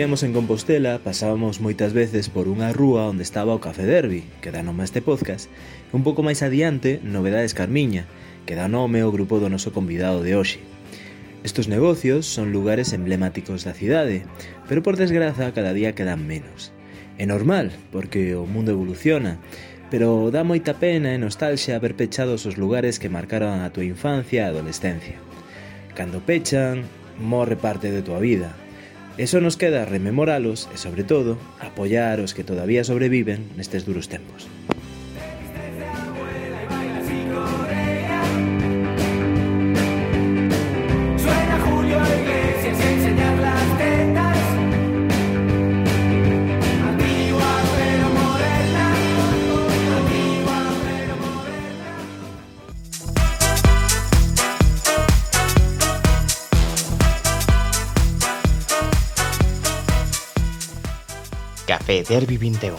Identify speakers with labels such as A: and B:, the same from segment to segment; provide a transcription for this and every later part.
A: vivíamos en Compostela, pasábamos moitas veces por unha rúa onde estaba o Café Derby, que dá nome a este podcast, e un pouco máis adiante, Novedades Carmiña, que dá nome ao grupo do noso convidado de hoxe. Estos negocios son lugares emblemáticos da cidade, pero por desgraza cada día quedan menos. É normal, porque o mundo evoluciona, pero dá moita pena e nostalgia ver pechados os lugares que marcaron a tua infancia e adolescencia. Cando pechan, morre parte de tua vida. E só nos queda rememoralos e, sobre todo, apoiar os que todavía sobreviven nestes duros tempos.
B: Café Derby 21,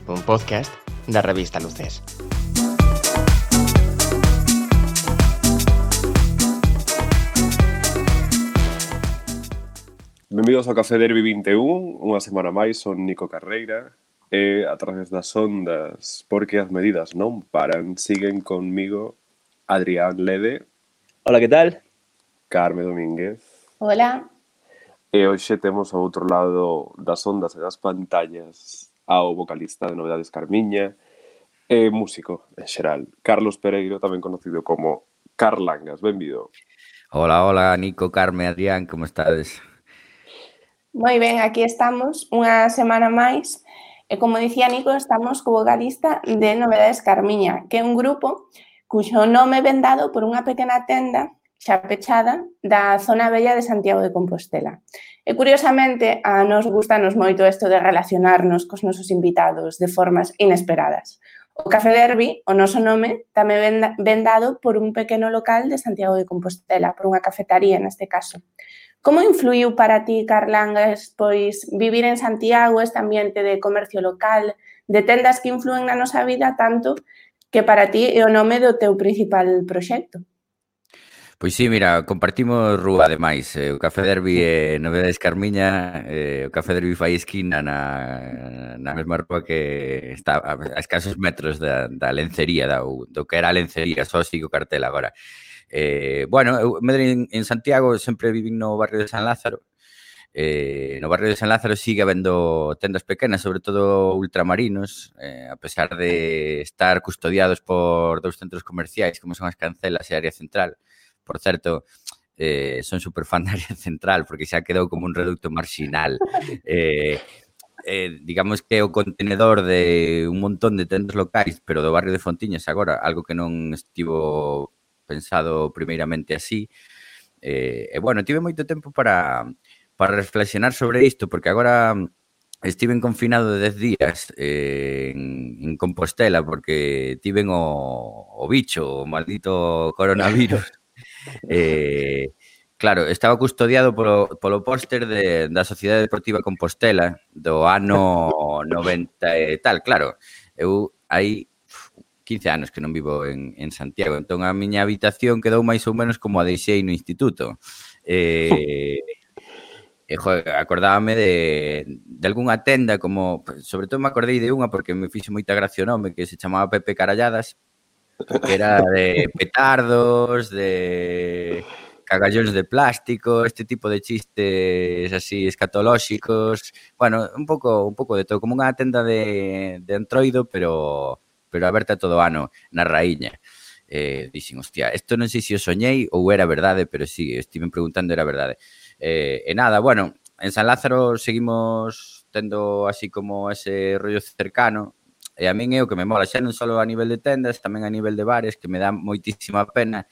B: un podcast da revista Luces.
C: Benvidos ao Café Derby 21, unha semana máis, son Nico Carreira e a través das ondas, porque as medidas non paran, siguen conmigo Adrián Lede.
A: Hola, que tal?
C: Carme Domínguez.
D: Hola.
C: E hoxe temos ao outro lado das ondas e das pantallas ao vocalista de Novedades Carmiña e músico en xeral, Carlos Pereiro, tamén conocido como Carlangas. Benvido.
E: Hola, Nico, Carme, Adrián, como estades?
D: Moi ben, aquí estamos unha semana máis e como dicía Nico, estamos co vocalista de Novedades Carmiña, que é un grupo cuxo nome ven dado por unha pequena tenda xa pechada da zona bella de Santiago de Compostela. E, curiosamente, a nos gustanos moito isto de relacionarnos cos nosos invitados de formas inesperadas. O Café Derby, o noso nome, tamén ven dado por un pequeno local de Santiago de Compostela, por unha cafetaría neste caso. Como influiu para ti, Carlangas, pois vivir en Santiago, este ambiente de comercio local, de tendas que influen na nosa vida tanto que para ti é o nome do teu principal proxecto?
E: Pois sí, mira, compartimos rúa ademais, o Café Derby e Novedades Carmiña, o Café Derby fai esquina na mesma rúa que está a escasos metros da lencería, do que era a lencería, só sigo cartel agora. Bueno, eu medrei en Santiago, sempre vivín no barrio de San Lázaro. No barrio de San Lázaro sigue habendo tendas pequenas, sobre todo ultramarinos, a pesar de estar custodiados por dous centros comerciais como son as Cancelas e a Área Central. Por certo, son super fan da Área Central porque xa quedou como un reducto marxinal. Digamos que é o contenedor de un montón de tendas locais, pero do barrio de Fontiñas agora, algo que non estivo pensado primeiramente así. E bueno, tive moito tempo para reflexionar sobre isto, porque agora estive confinado de 10 días en Compostela porque tiven o bicho, o maldito coronavirus. Claro, estaba custodiado polo póster da Sociedade Deportiva Compostela do ano 90 e tal. Claro, eu hai 15 anos que non vivo en Santiago, entón a miña habitación quedou máis ou menos como a deixei no instituto. Acordábame de algunha tenda, como sobre todo me acordei de unha porque me fixo moita gracia o nome, que se chamaba Pepe Caralladas, que era de petardos, de cagallóns de plástico, este tipo de chistes así escatolóxicos. Bueno, un pouco de todo, como unha tenda de Entroido, pero aberta todo o ano na Raíña. Dixen, hostia, isto non sei se o soñei ou era verdade, pero sí, estive preguntando, era verdade. E nada, bueno, en San Lázaro seguimos tendo así como ese rollo cercano. E a min é o que me mola, xa non só a nivel de tendas, tamén a nivel de bares, que me dá moitísima pena.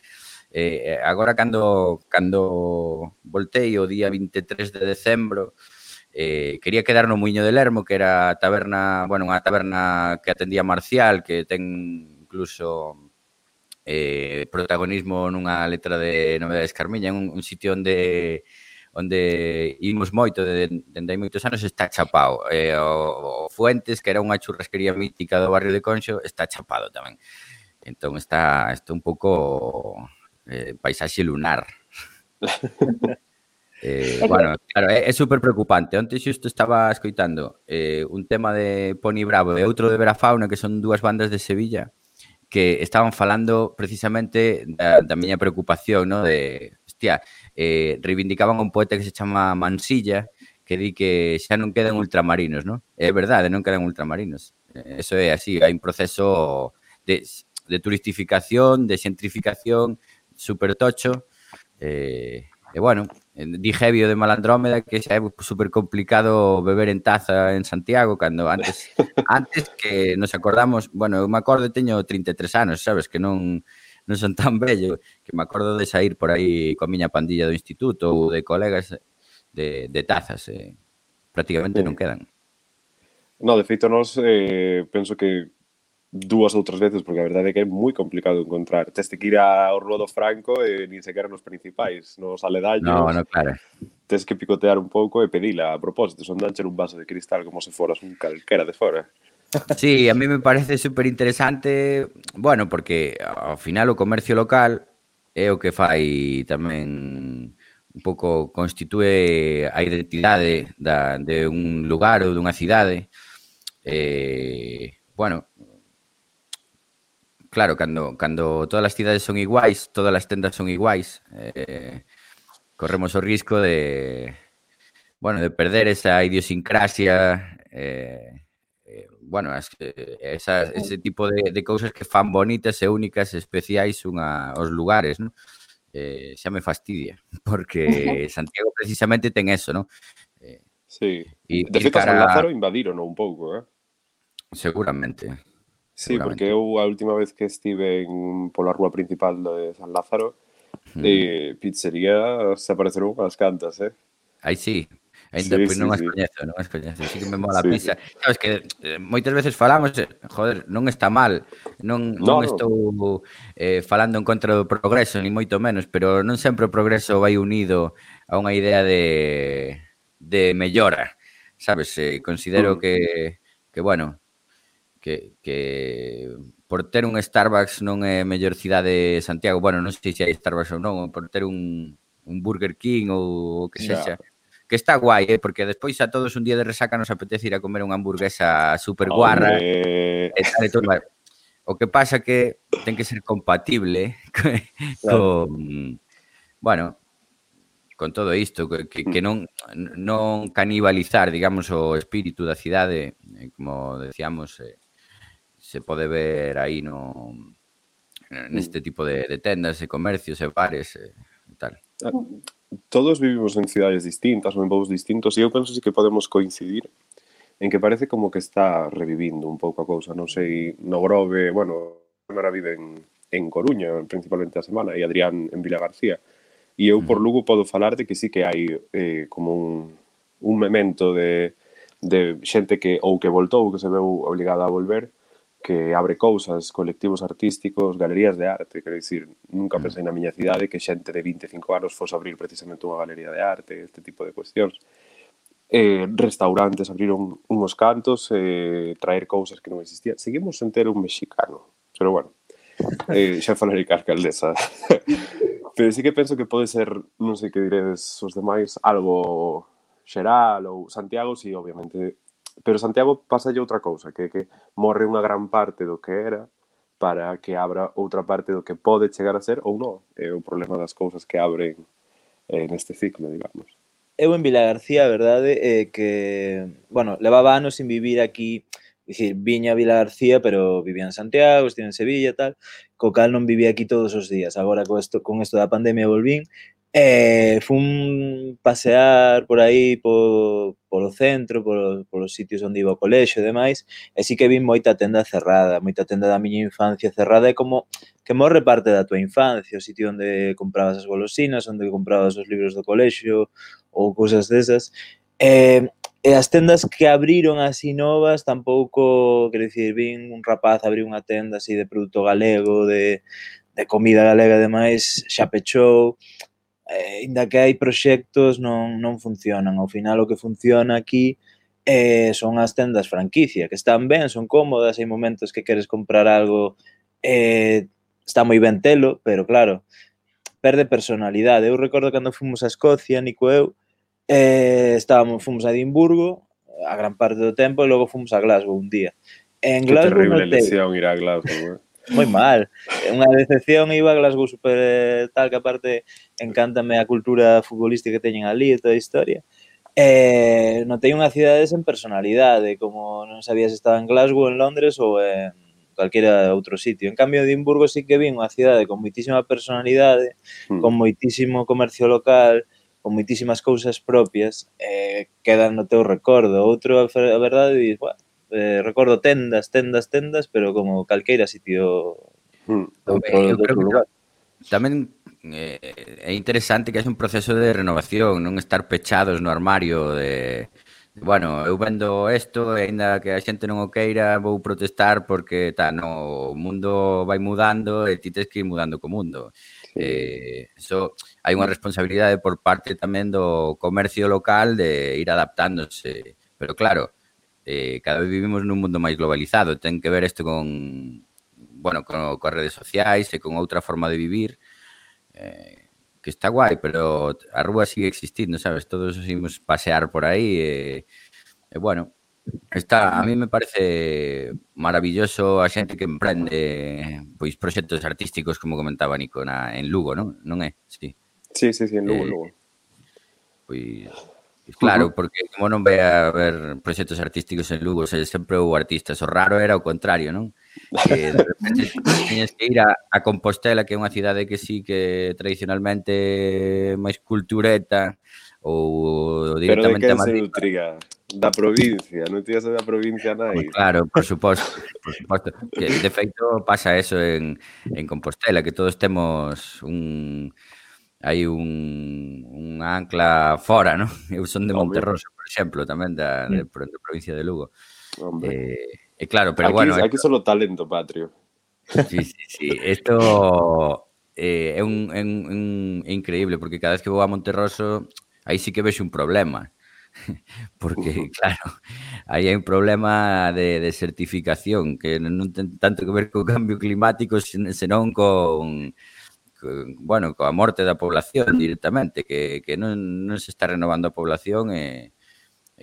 E: Agora, cando voltei o día 23 de decembro, quería quedar no Muiño de Lermo, que era a taberna, bueno, unha taberna que atendía Marcial, que ten incluso protagonismo nunha letra de Novedades Carmiña, un sitio onde imos moito dende hai moitos anos, está chapado. O Fuentes, que era unha churrasquería mítica do barrio de Conxo, está chapado tamén. Entón está un pouco paisaxe lunar. Bueno, claro, é super preocupante. Onte xusto estaba escoitando un tema de Poni Bravo e outro de Verafauna, que son dúas bandas de Sevilla, que estaban falando precisamente da miña preocupación, ¿no? De, hostia, reivindicaban un poeta que se chama Mansilla, que di que xa non quedan ultramarinos, ¿no? É verdade, non quedan ultramarinos. Eso é así, hai un proceso de turistificación, de xentrificación super tocho, e bueno, di Hevio de Malandrómeda que xa é super complicado beber en taza en Santiago, cando antes que nos acordamos, bueno, eu me acordo, teño 33 anos, sabes, que non son tan vello, que me acordo de sair por aí coa miña pandilla do instituto ou de colegas de tazas, prácticamente non quedan.
C: No, de feito, nós penso que 2 ou 3 veces, porque a verdade é que é moi complicado encontrar. Tes que ir ao Rua do Franco e nin sequera nos principais, nos aledaños.
E: No, claro.
C: Tes que picotear un pouco e pedila a propósito, son danche un vaso de cristal como se foras un calquera de fora.
E: Sí, a mí me parece super interesante, bueno, porque ao final o comercio local é o que fai tamén un pouco constitúe a identidade de un lugar ou dunha cidade. Bueno, claro, cando todas as cidades son iguais, todas as tendas son iguais, corremos o risco de perder esa idiosincrasia, bueno, ese tipo de cousas que fan bonitas e únicas e especiais aos lugares, non? Xa me fastidia, porque Santiago precisamente ten eso, non?
C: Sí. De feito, San Lázaro invadiron un pouco,
E: Seguramente.
C: Sí, porque eu a última vez que estive pola rúa principal de San Lázaro, pizzería se apareceron unhas cantas,
E: Aí sí. Ainda pois non as coñezo. Sí que me mola a pizza. Sabes que moitas veces falamos, joder, non está mal. Non estou falando en contra do progreso, ni moito menos, pero non sempre o progreso vai unido a unha idea de mellora. Sabes, considero que bueno, que por ter un Starbucks non é mellor cidade de Santiago. Bueno, non sei se hai Starbucks ou non, por ter un Burger King ou o que sexa. Que está guai, porque despois a todos un día de resaca nos apetece ir a comer unha hamburguesa super guarra. O que pasa que ten que ser compatible con, bueno, con todo isto, que non canibalizar, digamos, o espírito da cidade, como decíamos, se pode ver aí neste tipo de tendas e comercios e bares e tal.
C: Todos vivimos en cidades distintas ou en povos distintos e eu penso que podemos coincidir en que parece como que está revivindo un pouco a cousa. Non sei, no Grove, bueno, Mara vive en Coruña, principalmente a semana, e Adrián en Vilagarcía. E eu por Lugo podo falar de que sí que hai como un memento de xente que ou que voltou, que se veu obligada a volver, que abre cousas, colectivos artísticos, galerías de arte, quero dicir, nunca pensei na miña cidade que xente de 25 anos fose abrir precisamente unha galería de arte, este tipo de cuestións. Restaurantes abriron unhos cantos, traer cousas que non existían. Seguimos sen ter un mexicano, pero bueno, xa falarei ca alcaldesa. Pero sí que penso que pode ser, non sei que diredes os demais, algo xeral ou Santiago, sí, obviamente. Pero Santiago pasalle outra cousa, que morre unha gran parte do que era para que abra outra parte do que pode chegar a ser ou non. É o problema das cousas que abren neste ciclo, digamos.
A: Eu en Vilagarcía, a verdade, que, bueno, levaba anos sin vivir aquí, dicir, viña a Vilagarcía, pero vivía en Santiago, estive en Sevilla e tal, co cal non vivía aquí todos os días. Agora, con isto da pandemia volvín, fun pasear por aí polo centro, polos sitios onde iba ao colexo e demais, e sí que vi moita tenda cerrada, moita tenda da miña infancia cerrada, e como que morre parte da tua infancia, o sitio onde comprabas as golosinas, onde comprabas os libros do colexo ou cousas desas. E as tendas que abriron así novas tampouco, quero dicir, vin un rapaz abrir unha tenda así de produto galego, de comida galega e demais, xa pechou. Ainda que hai proxectos, non funcionan. Ao final, o que funciona aquí son as tendas franquicia, que están ben, son cómodas, hai momentos que queres comprar algo, está moi ben telo, pero claro, perde personalidade. Eu recordo cando fomos a Escocia, Nico e eu, fomos a Edimburgo a gran parte do tempo e logo fomos a Glasgow un día. En
C: Que
A: Glasgow
C: terrible
A: notei
C: lesión ir a Glasgow,
A: moi mal. Unha decepción, iba a Glasgow super tal, que aparte encántame a cultura futbolística que teñen ali e toda a historia. Notei unha cidade sen personalidade, como non sabía se estaba en Glasgow, en Londres ou en calquera outro sitio. En cambio, Edimburgo sí que vi unha cidade con moitísima personalidade, con moitísimo comercio local, con moitísimas cousas propias, quedan no teu recordo. Outro, a verdade, dis, bueno, recordo tendas, pero como calqueira sitio
E: Eu creo
A: outro
E: que
A: lugar.
E: tamén é interesante que haxe un proceso de renovación, non estar pechados no armario de bueno, eu vendo isto e aínda que a xente non o queira vou protestar porque o mundo vai mudando e ti tens que ir mudando co mundo. Eso hai unha responsabilidade por parte tamén do comercio local de ir adaptándose, pero claro, cada vez vivimos nun mundo máis globalizado, ten que ver isto con as redes sociais e con outra forma de vivir, que está guai, pero a rúa sigue existindo, sabes? Todos imos pasear por aí e bueno, a mí me parece maravilloso a xente que emprende pois proxectos artísticos, como comentaba Nico, en Lugo, non é? Sí.
C: Sí, en Lugo.
E: Pois claro, porque como non vai a haber proxectos artísticos en Lugo, sempre houve artistas. O raro era o contrario, non? Que de repente teñes que ir a Compostela, que é unha cidade que sí que tradicionalmente máis cultureta, ou directamente
C: a
E: a Madrid.
C: Pero de quen se nutriga? Da provincia, non tías da provincia nai?
E: Claro, por suposto. Que, de feito, pasa eso en Compostela, que todos temos hai unha ancla fora, non? Eu son de Monterroso, por exemplo, tamén da provincia de Lugo. E claro, pero bueno...
C: Aquí solo talento patrio.
E: Sí. Isto é increíble, porque cada vez que vou a Monterroso, aí sí que vexo un problema. Porque, claro, aí hai un problema de desertificación que non ten tanto que ver co cambio climático, senón coa morte da población directamente, que non se está renovando a población e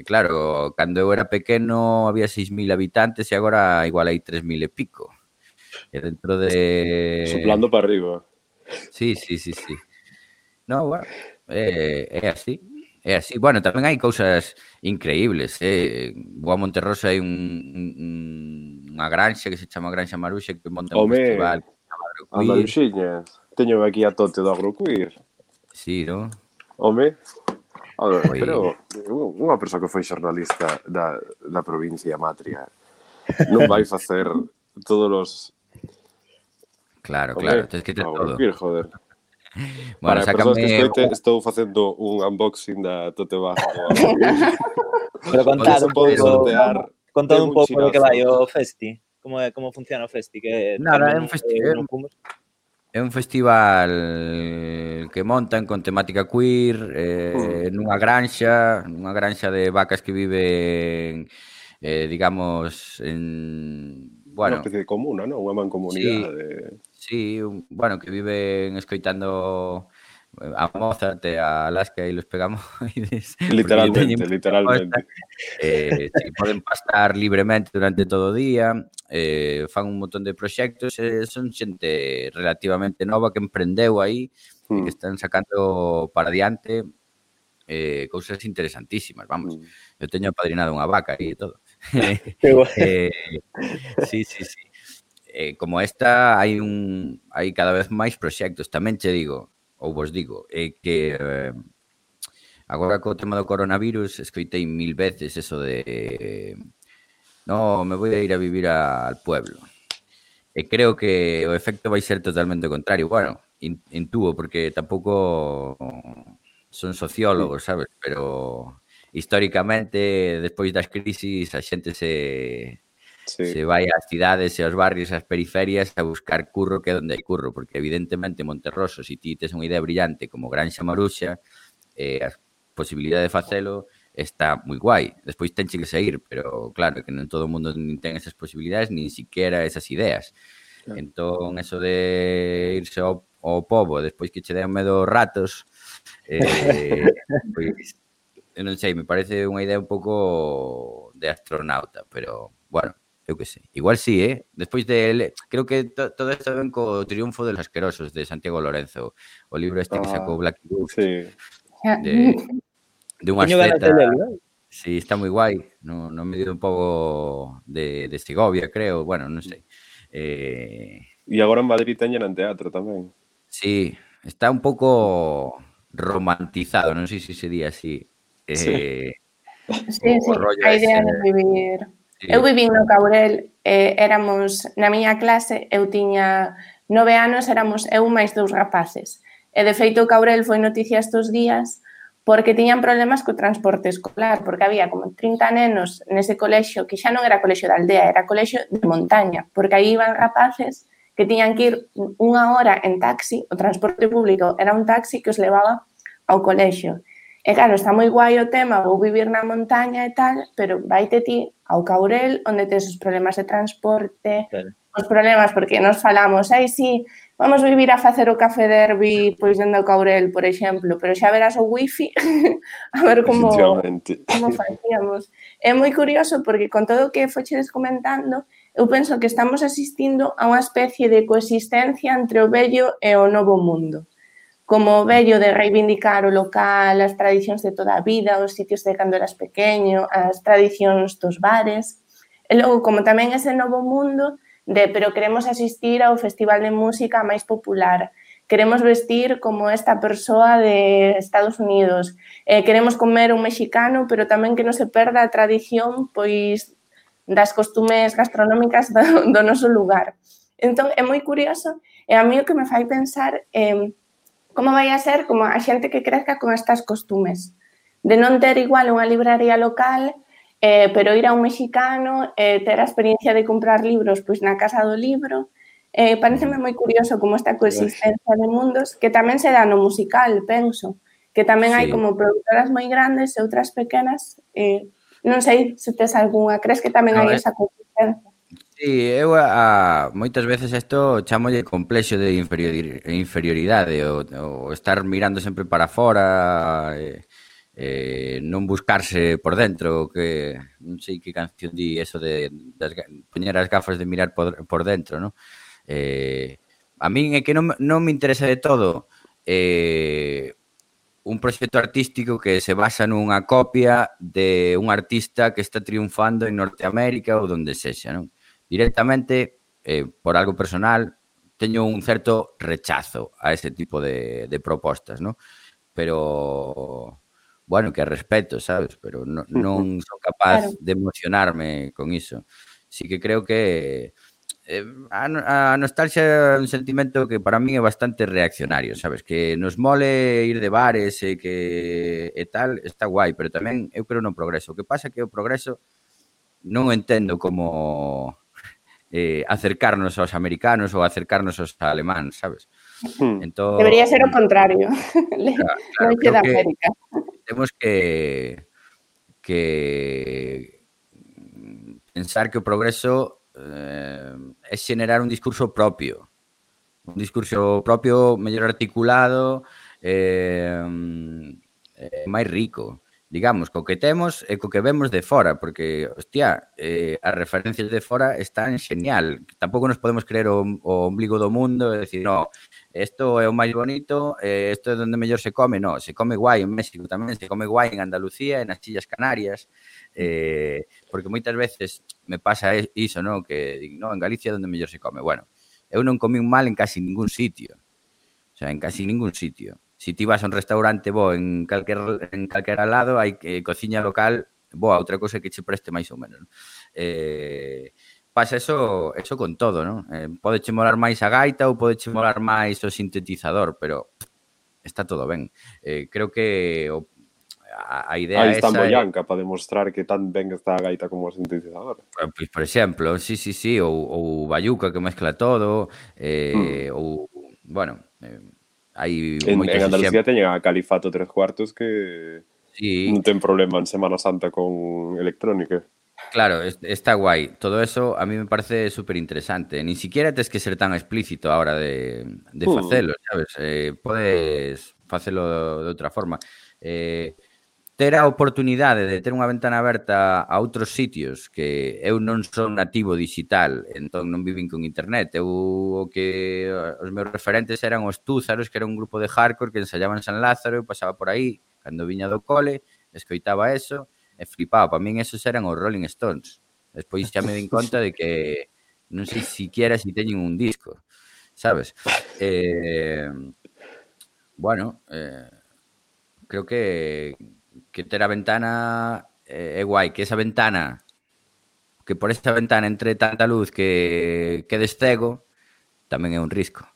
E: claro, cando eu era pequeno había 6.000 habitantes e agora igual hai 3.000 e pico. E dentro de...
C: Soplando para arriba.
E: Sí. No, bueno, é así. É así. Bueno, tamén hai cousas increíbles. Vou a Monterroso, hai unha granxa que se chama Granxa Maruxa que monta un festival.
C: A Maruxiñas. Teño aquí a Tote do Agroqueer.
E: Sí, non?
C: Home, pero unha persoa que foi xornalista da provincia matria non vai facer todos os...
E: Claro, tens que ter todo.
C: Agroqueer, joder.
E: Bueno,
C: para persoas que escoiten, estou facendo un unboxing da Tote Bag.
A: Pero contad un pouco de que vai o festi. Como funciona o festi?
E: Nada, é un festival que montan con temática queer nunha granxa de vacas que viven digamos en...
C: Unha especie de comuna, non? Unha mancomunidade.
E: Sí, que viven escoitando a Mozart e a Alaska e los Pegamoides.
C: Literalmente.
E: Poden pastar libremente durante todo o día, fan un montón de proxectos, son xente relativamente nova que emprendeu aí e que están sacando para diante cousas interesantísimas, vamos. Eu teño apadrinado unha vaca aí e todo. Sí. Como esta hai cada vez máis proxectos. Tamén che digo, ou vos digo, que agora co tema do coronavirus escoitei 1000 veces eso de no, me voy a ir a vivir al pueblo. E creo que o efecto vai ser totalmente o contrario. Bueno, intúo, porque tampouco son sociólogos, sabes? Pero históricamente, despois das crisis, a xente se vai ás cidades e aos barrios, ás periferias a buscar curro, que é onde hai curro, porque evidentemente Monterroso, se ti tes unha idea brillante como Granxa Maruxa, a posibilidade de facelo está moi guai. Despois tenche que sair, pero claro, que non todo o mundo ten esas posibilidades, nin siquiera esas ideas. Entón, eso de irse ao ao pobo despois que che den medo ratos, pois, eu non sei, me parece unha idea un pouco de astronauta, pero, bueno, eu que sei. Igual sí, Despois creo que todo isto ven co Triunfo de los Asquerosos, de Santiago Lorenzo, o libro este que sacou Black Book,
C: Sí.
E: de un
A: Teño ganas
E: asceta.
A: de lelo,
E: Sí, está moi guai, no medio un pouco de Segovia, creo, bueno, non sei.
C: E agora en Madrid teñen en teatro tamén.
E: Sí, está un pouco romantizado, non sei se se di así.
D: Sí,
E: O rollo
D: a
E: ese
D: idea de vivir.
E: sí.
D: Eu vivín no Caurel, éramos, na miña clase, eu tiña 9 anos, éramos eu máis 2 rapaces. E, de feito, o Caurel foi noticia estes días porque tiñan problemas co transporte escolar, porque había como 30 nenos nese colexio, que xa non era colexio de aldea, era colexio de montaña, porque aí iban rapaces que tiñan que ir unha hora en taxi, o transporte público era un taxi que os levaba ao colexio. E claro, está moi guai o tema, vou vivir na montaña e tal, pero vaite ti ao Caurel, onde tes os problemas de transporte,
A: claro.
D: os problemas, porque nos falamos, sí, vamos vivir a facer o café derbi pois dende o Caurel, por exemplo, pero xa verás o wifi, a ver como facíamos. É moi curioso porque con todo o que fochedes comentando, eu penso que estamos asistindo a unha especie de coexistencia entre o vello e o novo mundo. Como o vello de reivindicar o local, as tradicións de toda a vida, os sitios de cando eras pequeño, as tradicións dos bares. E logo, como tamén ese novo mundo pero queremos asistir ao festival de música máis popular, queremos vestir como esta persoa de Estados Unidos, queremos comer un mexicano, pero tamén que non se perda a tradición pois das costumes gastronómicas do noso lugar. Entón, é moi curioso, e a mí o que me fai pensar como vai a ser como a xente que crezca con estas costumes, de non ter igual unha libraría local, pero ir a un mexicano, ter a experiencia de comprar libros pois na Casa do Libro. Pareceme moi curioso como esta coexistencia de mundos, que tamén se dá no musical, penso, que tamén hai como produtoras moi grandes e outras pequenas. Non sei se tes algunha, crees que tamén hai esa coexistencia?
E: Sí, eu moitas veces isto chamolle complexo de inferioridade, o estar mirando sempre para fora, non buscarse por dentro, que non sei que canción di eso de poñer as gafas de mirar por dentro, non? A min é que non me interesa de todo un proxecto artístico que se basa nunha copia de un artista que está triunfando en Norteamérica ou donde sexa, non? Directamente, por algo personal, teño un certo rechazo a ese tipo de propostas, non? Pero bueno, que respeto, sabes? Pero non son capaz de emocionarme con iso. Sí que creo que a nostalgia é un sentimento que para min é bastante reaccionario, sabes? Que nos mole ir de bares e tal, está guai, pero tamén eu creo no progreso. O que pasa é que o progreso non entendo como acercarnos aos americanos ou acercarnos aos alemáns, sabes?
D: Entón, debería ser o contrario. Non queda América.
E: Temos que pensar que o progreso é xenerar un discurso propio mellor articulado, máis rico, digamos, co que temos e co que vemos de fora, porque, hostia, as referencias de fora están genial. Tampouco nos podemos creer o ombligo do mundo e decir, no, isto é o máis bonito, isto é onde mellor se come. No, se come guai en México tamén, se come guai en Andalucía, nas Illas Canarias, porque moitas veces me pasa iso, no, que digo, no, en Galicia é onde mellor se come. Bueno, eu non comín mal en casi ningún sitio. O sea, en casi ningún sitio. Si ti vas a un restaurante bo en calquera lado, hai cociña local boa, outra cosa que che preste máis ou menos. Pasa eso con todo, non? Podeche molar máis a gaita ou podeche molar máis o sintetizador, pero está todo ben. Creo que a idea
C: aí está Moyanca para demostrar que tan ben está a gaita como o sintetizador.
E: Pois, por exemplo, sí, ou Bayuca que mezcla todo, ou, bueno, hai moitos
C: en Andalucía teñen a Califato 3/4 que non ten problema en Semana Santa con electrónica.
E: Claro, está guai. Todo eso a mí me parece súper interesante. Ni siquiera tens que ser tan explícito a hora de facelo, sabes? Podes facelo de outra forma. Ter a oportunidade de ter unha ventana aberta a outros sitios que eu non son nativo digital, entón non vivín con internet. Os meus referentes eran os Túzaros, que era un grupo de hardcore que ensayaban en San Lázaro, eu pasaba por aí cando viña do cole, escoitaba eso, e flipaba. Para min esos eran os Rolling Stones. Despois xa me din conta de que non sei siquiera si teñen un disco, sabes? Bueno, creo que ter a ventana é guai, que esa ventana, que por esa ventana entre tanta luz que quedes cego, tamén é un risco.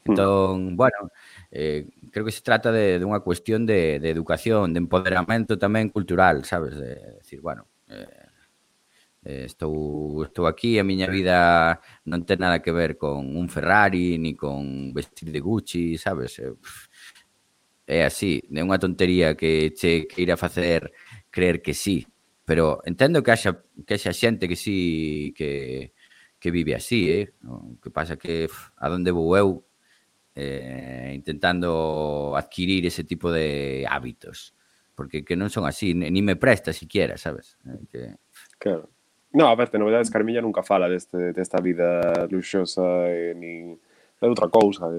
E: Entón, bueno, creo que se trata de unha cuestión de educación, de empoderamento tamén cultural, sabes? De decir, bueno, estou aquí, a miña vida non ten nada que ver con un Ferrari, ni con vestir de Gucci, sabes? É así, é unha tontería que che queira facer creer que sí, pero entendo que haxa xente que sí que vive así, O que pasa que a donde vou eu intentando adquirir ese tipo de hábitos, porque que non son así, ni me presta siquiera, sabes?
C: Claro. No, a ver, de Novedades Carmiña nunca fala desta vida luxosa ni de outra cousa,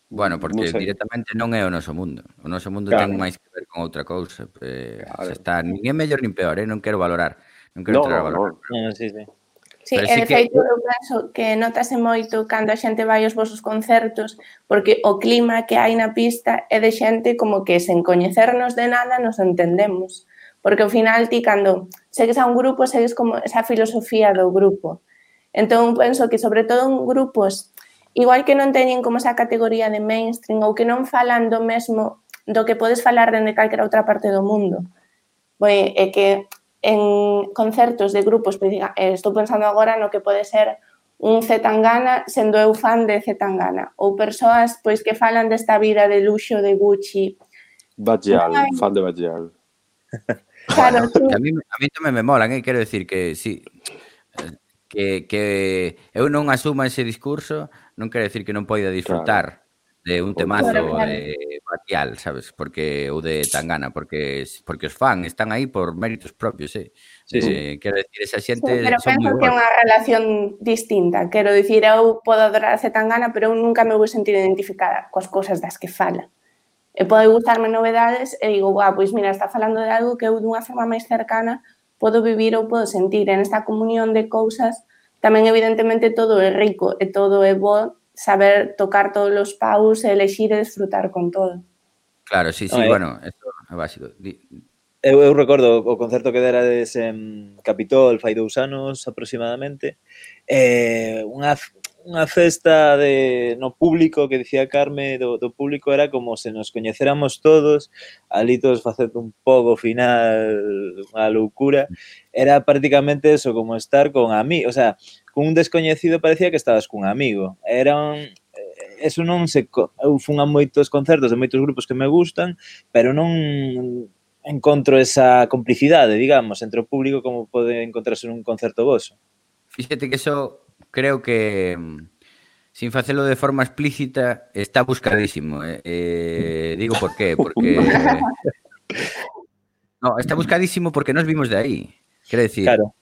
E: Bueno, porque directamente non é o noso mundo. O noso mundo ten máis que ver con outra cousa. Xa está, nin é mellor nin peor, non quero valorar. Non quero entrar a valorar.
A: Sí.
D: Sí, e de feito eu penso que notase moito cando a xente vai aos vosos concertos, porque o clima que hai na pista é de xente como que sen coñecernos de nada nos entendemos. Porque ao final ti cando segues a un grupo segues como esa filosofía do grupo. Entón penso que sobre todo en grupos igual que non teñen como esa categoría de mainstream ou que non falan do mesmo do que podes falar dende calquera outra parte do mundo. É que en concertos de grupos, estou pensando agora no que pode ser un Zetangana sendo eu fan de Zetangana, ou persoas pois que falan desta vida de luxo de Gucci.
C: Bajal, fan de Bajal.
E: Claro, sí. A mí tamén me molan, quero decir que sí, que eu non asuma ese discurso non quero decir que non poida disfrutar de un temazo de Batial, sabes? Ou de Tangana, porque os fan están aí por méritos propios, quero decir, esa xente
D: pero penso que é unha relación distinta. Quero dicir, eu podo adorar a Zetangana, pero eu nunca me vou sentir identificada coas cousas das que fala. E pode gustarme Novedades e digo, pois mira, está falando de algo que eu dunha forma máis cercana podo vivir ou podo sentir. En esta comunión de cousas tamén evidentemente todo é rico e todo é bo saber tocar todos os paus e elexir e desfrutar con todo.
E: Claro, sí, bueno, eso é básico.
A: Eu recordo o concerto que derades en Capitol fai 2 anos aproximadamente, unha festa no público que dicía Carme do público era como se nos coñecéramos todos, ali todos facendo un poco final, unha loucura, era prácticamente eso, como estar con amigos, o sea, con un descoñecido parecía que estabas cun amigo, eso non se... Eu fun a moitos concertos de moitos grupos que me gustan, pero non encontro esa complicidade, digamos, entre o público como pode encontrarse nun concerto voso.
E: Fíxate que eso creo que, sin facelo de forma explícita, está buscadísimo. Digo por qué, porque... No, está buscadísimo porque nos vimos de aí. Quero dicir, claro.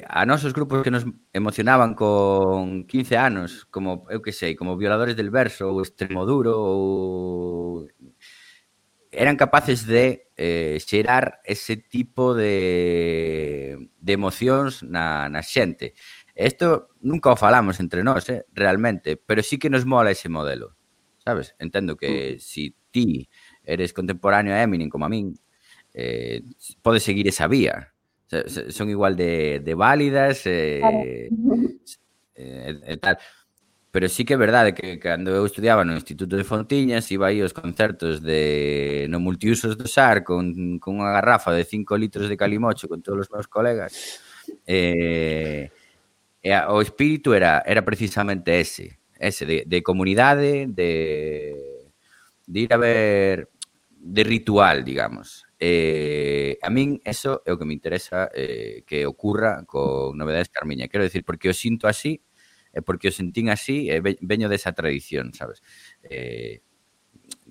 E: A nosos grupos que nos emocionaban con 15 anos, como, eu que sei, como Violadores del Verso, ou Extremoduro, ou... eran capaces de xerar ese tipo de emocións na xente. Isto nunca o falamos entre nós, realmente, pero sí que nos mola ese modelo, sabes? Entendo que si ti eres contemporáneo a Eminem como a min, podes seguir esa vía. Son igual de válidas e tal. Pero sí que é verdade que cando eu estudiaba no Instituto de Fontiñas iba aí aos concertos no multiusos do SAR con unha garrafa de 5 litros de calimocho con todos os meus colegas o espírito era precisamente ese de comunidade, de ir a ver, de ritual, digamos. a min eso é o que me interesa que ocurra con Novedades Carmiña. Quero decir, porque o sinto así, porque o sentín así, veño desa tradición, sabes?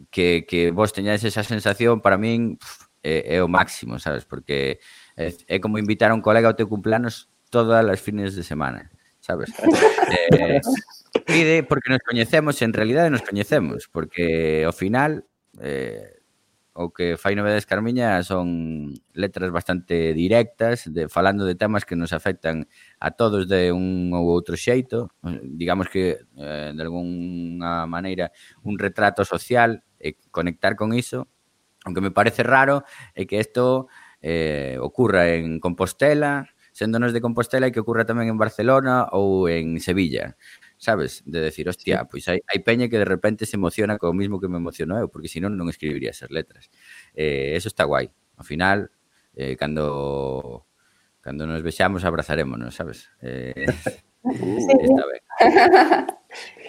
E: Que vos teñades esa sensación, para min, é o máximo, sabes? Porque é como invitar a un colega ao teu cumpleanos todas as fines de semana, sabes? Pide porque nos coñecemos, en realidade nos coñecemos, porque ao final o que fai Novedades Carmiña son letras bastante directas, falando de temas que nos afectan a todos de un ou outro xeito, digamos que de alguna maneira un retrato social e conectar con iso. Aunque me parece raro é que isto ocurra en Compostela, séndonos de Compostela, e que ocurra tamén en Barcelona ou en Sevilla, sabes? De decir, hostia, pois hai peña que de repente se emociona co mismo que me emociono eu, porque senón non escribiría esas letras. Eso está guai. Ao final, cando nos vexamos, abrazarémonos, sabes? Está ben.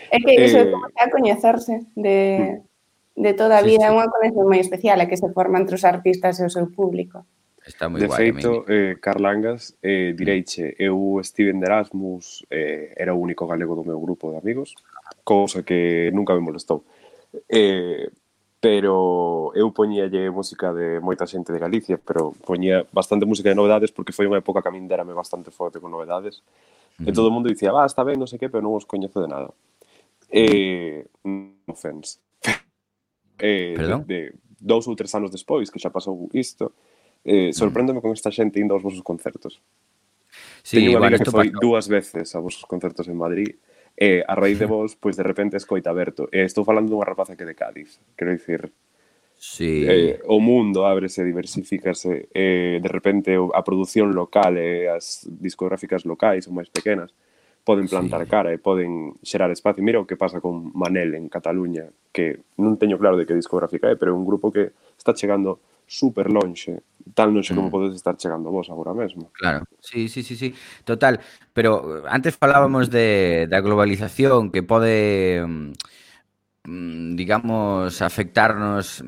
D: É que iso é como a coñecerse de toda a vida, é unha conexión moi especial, é que se forma entre os artistas e o seu público.
E: Está moi
C: de
E: guai.
C: feito, Carlangas, direiche, eu Steven de Erasmus era o único galego do meu grupo de amigos, cousa que nunca me molestou. Pero eu poñíalle música de moita xente de Galicia, pero poñía bastante música de Novedades porque foi unha época que a min derame bastante forte con Novedades. E todo o mundo dicía, está ben, non sei que, pero non os coñezo de nada. No offense.
E: Perdón?
C: De 2 ou 3 anos despois, que xa pasou isto, sorpréndeme con esta xente indo aos vosos concertos.
E: Sí,
C: teño unha amiga que foi
E: pasou
C: 2 veces a vosos concertos en Madrid, e a raíz de vos, pois de repente escoita aberto. Estou falando dunha rapaza que de Cádiz, quero dicir,
E: sí.
C: o mundo ábrese, diversifícase, de repente a produción local e as discográficas locais ou máis pequenas poden plantar cara e poden xerar espacio. Mira o que pasa con Manel en Cataluña, que non teño claro de que discográfica é, pero é un grupo que está chegando super lonxe, tan lonxe como podes estar chegando vos agora mesmo.
E: Claro, sí, total, pero antes falábamos da globalización que pode, digamos, afectarnos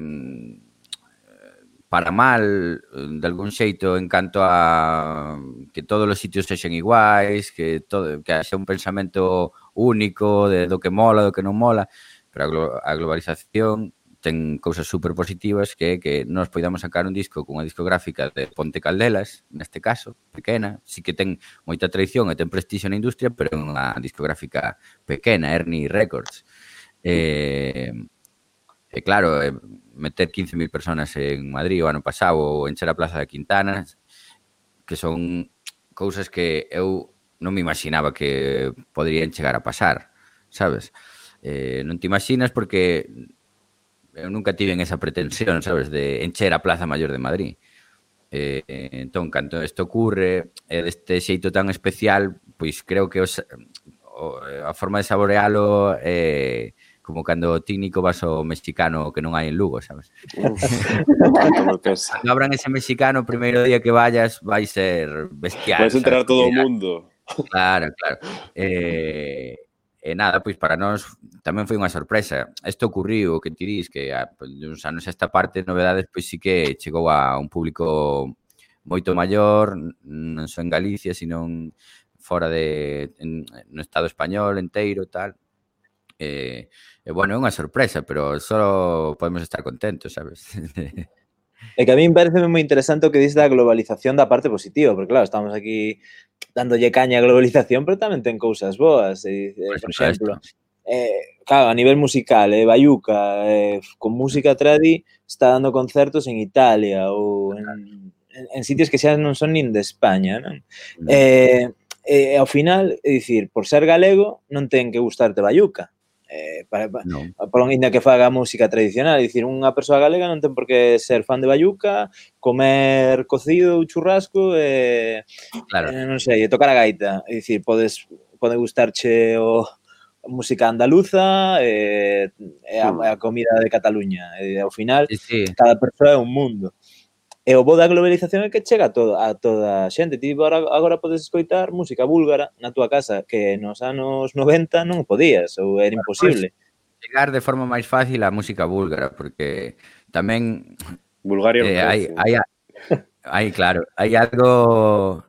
E: para mal, de algún xeito, en canto a que todos os sitios sexen iguais, que haxa un pensamento único do que mola, do que non mola, pero a globalización ten cousas super positivas, que é que nós poidamos sacar un disco cunha discográfica de Ponte Caldelas, neste caso, pequena, sí que ten moita tradición e ten prestixio na industria, pero é unha discográfica pequena, Ernie Records. E claro, meter 15.000 personas en Madrid o ano pasado ou encher a Plaza de Quintana, que son cousas que eu non me imaginaba que poderían chegar a pasar, sabes? Non te imaginas porque eu nunca tiven esa pretensión, sabes, de encher a Plaza Maior de Madrid. Entón, cando isto ocurre deste xeito tan especial, pois creo que a forma de saborealo é como cando ti, Nico, vas ao mexicano que non hai en Lugo, sabes? Cando abran ese mexicano, o primeiro día que vayas vai ser bestial.
C: Vais enterar todo o mundo.
E: Claro. E nada, pois para nós tamén foi unha sorpresa. Isto ocurriu, o que ti dis, que uns anos esta parte de Novedades pois sí que chegou a un público moito maior, non só en Galicia, sino fora no Estado español enteiro, tal. E bueno, é unha sorpresa, pero só podemos estar contentos, sabes?
A: É que a mí me parece moi interesante o que dis da globalización da parte positiva, porque claro, estamos aquí dándolle caña a globalización, pero tamén ten cousas boas. Por exemplo, claro, a nivel musical, Bayuca, con música tradi, está dando concertos en Italia ou en sitios que xa non son nin de España, non? Ao final, é dicir, por ser galego, non ten que gustarte Bayuca. Por ainda que faga música tradicional, é dicir, unha persoa galega non ten por que ser fan de Bayuca, comer cocido ou churrasco e non sei, tocar a gaita, é dicir, pode gustarche a música andaluza e a comida de Cataluña, e ao final cada persoa é un mundo. E o bo da globalización é que chega a toda a xente. Ti agora podes escoitar música búlgara na túa casa, que nos anos 90 non podías, ou era imposible.
E: Chegar de forma máis fácil a música búlgara, porque tamén
C: Bulgaria non parece.
E: Claro, hai algo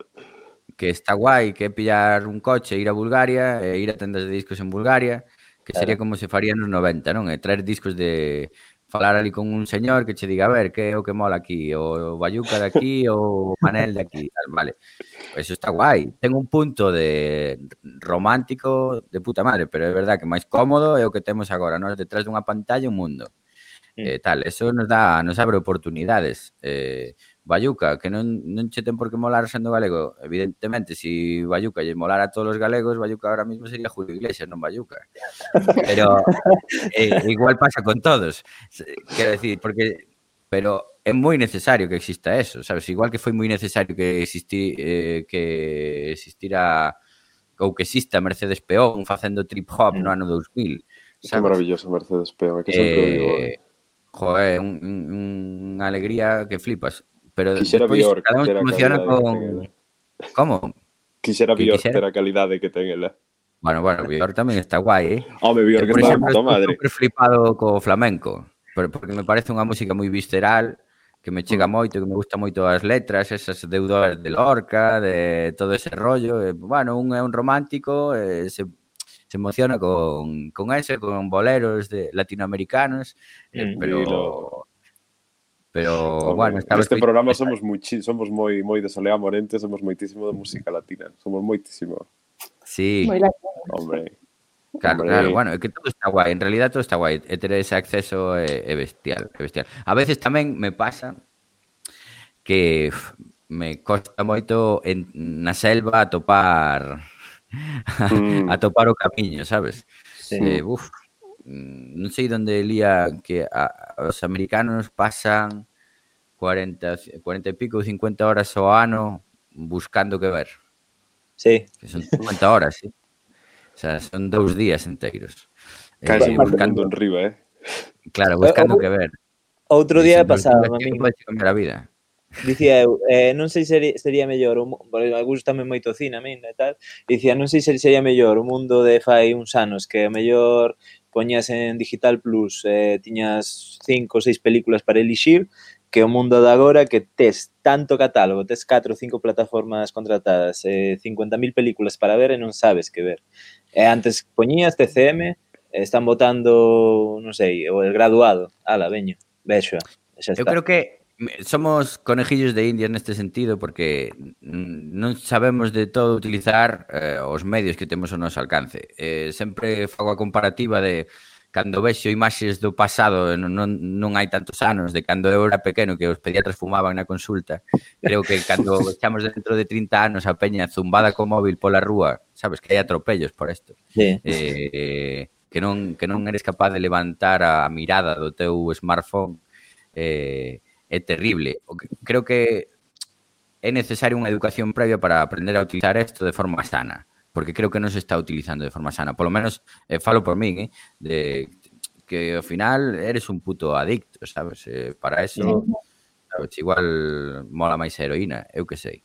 E: que está guai, que é pillar un coche, ir a Bulgaria, ir a tendas de discos en Bulgaria, que sería como se faría nos 90, non? E traer discos de falar ali con un señor que che diga, a ver, que é o que mola aquí, o Bayuca de aquí, o Manel de aquí, tal, vale. Eso está guai. Ten un punto de romántico de puta madre, pero é verdad que máis cómodo é o que temos agora, nós detrás dunha pantalla un mundo. Tal, eso nos abre oportunidades. Bayuca, que non che ten por que molar sendo galego. Evidentemente, se Bayuca lle molara a todos os galegos, Bayuca ahora mismo sería Julio Iglesias, non Bayuca. Pero igual pasa con todos. Quero decir, pero é moi necesario que exista eso, sabes? Igual que foi moi necesario que existira ou que exista Mercedes Peón facendo trip hop no ano 2000.
C: Que maravilloso Mercedes Peón, que sempre o digo.
E: Joder, unha alegría que flipas. Pero
C: Quixera
E: despois
C: Bjork
E: cada un se
C: ter a
E: emociona
C: calidade
E: con...
C: que ten ela.
E: Como?
C: Quixera
E: Que
C: Bjork
E: quixera?
C: ter a calidade que ten ela.
E: Bueno, Bjork tamén está guai,
C: Home, Bjork
E: por
C: está
E: exemplo,
C: puta madre.
E: super flipado co flamenco, porque me parece unha música moi visceral, que me chega moito, que me gusta moito as letras, esas deudoras de Lorca, de todo ese rollo. Bueno, un é un romántico, se emociona con boleros latinoamericanos, pero bueno,
C: neste programa somos moi de Soleá Morente, somos moitísimo de música latina, somos moitísimo.
E: Sí.
C: Hombre.
E: Claro, bueno, é que todo está guai, en realidad todo está guai, e ter ese acceso é bestial, é bestial. A veces tamén me pasa que me costa moito na selva atopar o camiño, sabes?
A: Sí.
E: Non sei onde lía que os americanos pasan 40 e pico ou 50 horas ao ano buscando que ver.
A: Sí.
E: Que son 50 horas, sí. O sea, son 2 días enteiros.
C: Buscando en riba,
E: Claro, buscando que ver.
A: Outro día pasaba a mí.
E: Pode cambiar a vida.
A: Dicía eu, non sei se sería mellor, porque gustame moito o cine a min e tal, dicía, non sei se sería mellor o mundo de fai uns anos, que a mellor poñas en Digital Plus, tiñas 5 ou 6 películas para elixir, que o mundo de agora que tes tanto catálogo, tes 4 ou 5 plataformas contratadas, 50.000 películas para ver e non sabes que ver. Antes poñías TCM, están botando, non sei, o El Graduado, ala, veño, vexo, xa está.
E: Eu creo que somos conejillos de Indias neste sentido porque non sabemos de todo utilizar os medios que temos ao noso alcance. Sempre fago a comparativa de cando vexo imaxes do pasado, non hai tantos anos, de cando eu era pequeno que os pediatras fumaban na consulta. Creo que cando echamos dentro de 30 anos a peña zumbada co móvil pola rúa, sabes, que hai atropellos por isto.
A: Sí.
E: Que non eres capaz de levantar a mirada do teu smartphone, é terrible. Creo que é necesaria unha educación previa para aprender a utilizar isto de forma sana, porque creo que non se está utilizando de forma sana. Por lo menos, falo por min, de que ao final eres un puto adicto, sabes? Para eso, sabes, igual mola máis a heroína, eu que sei.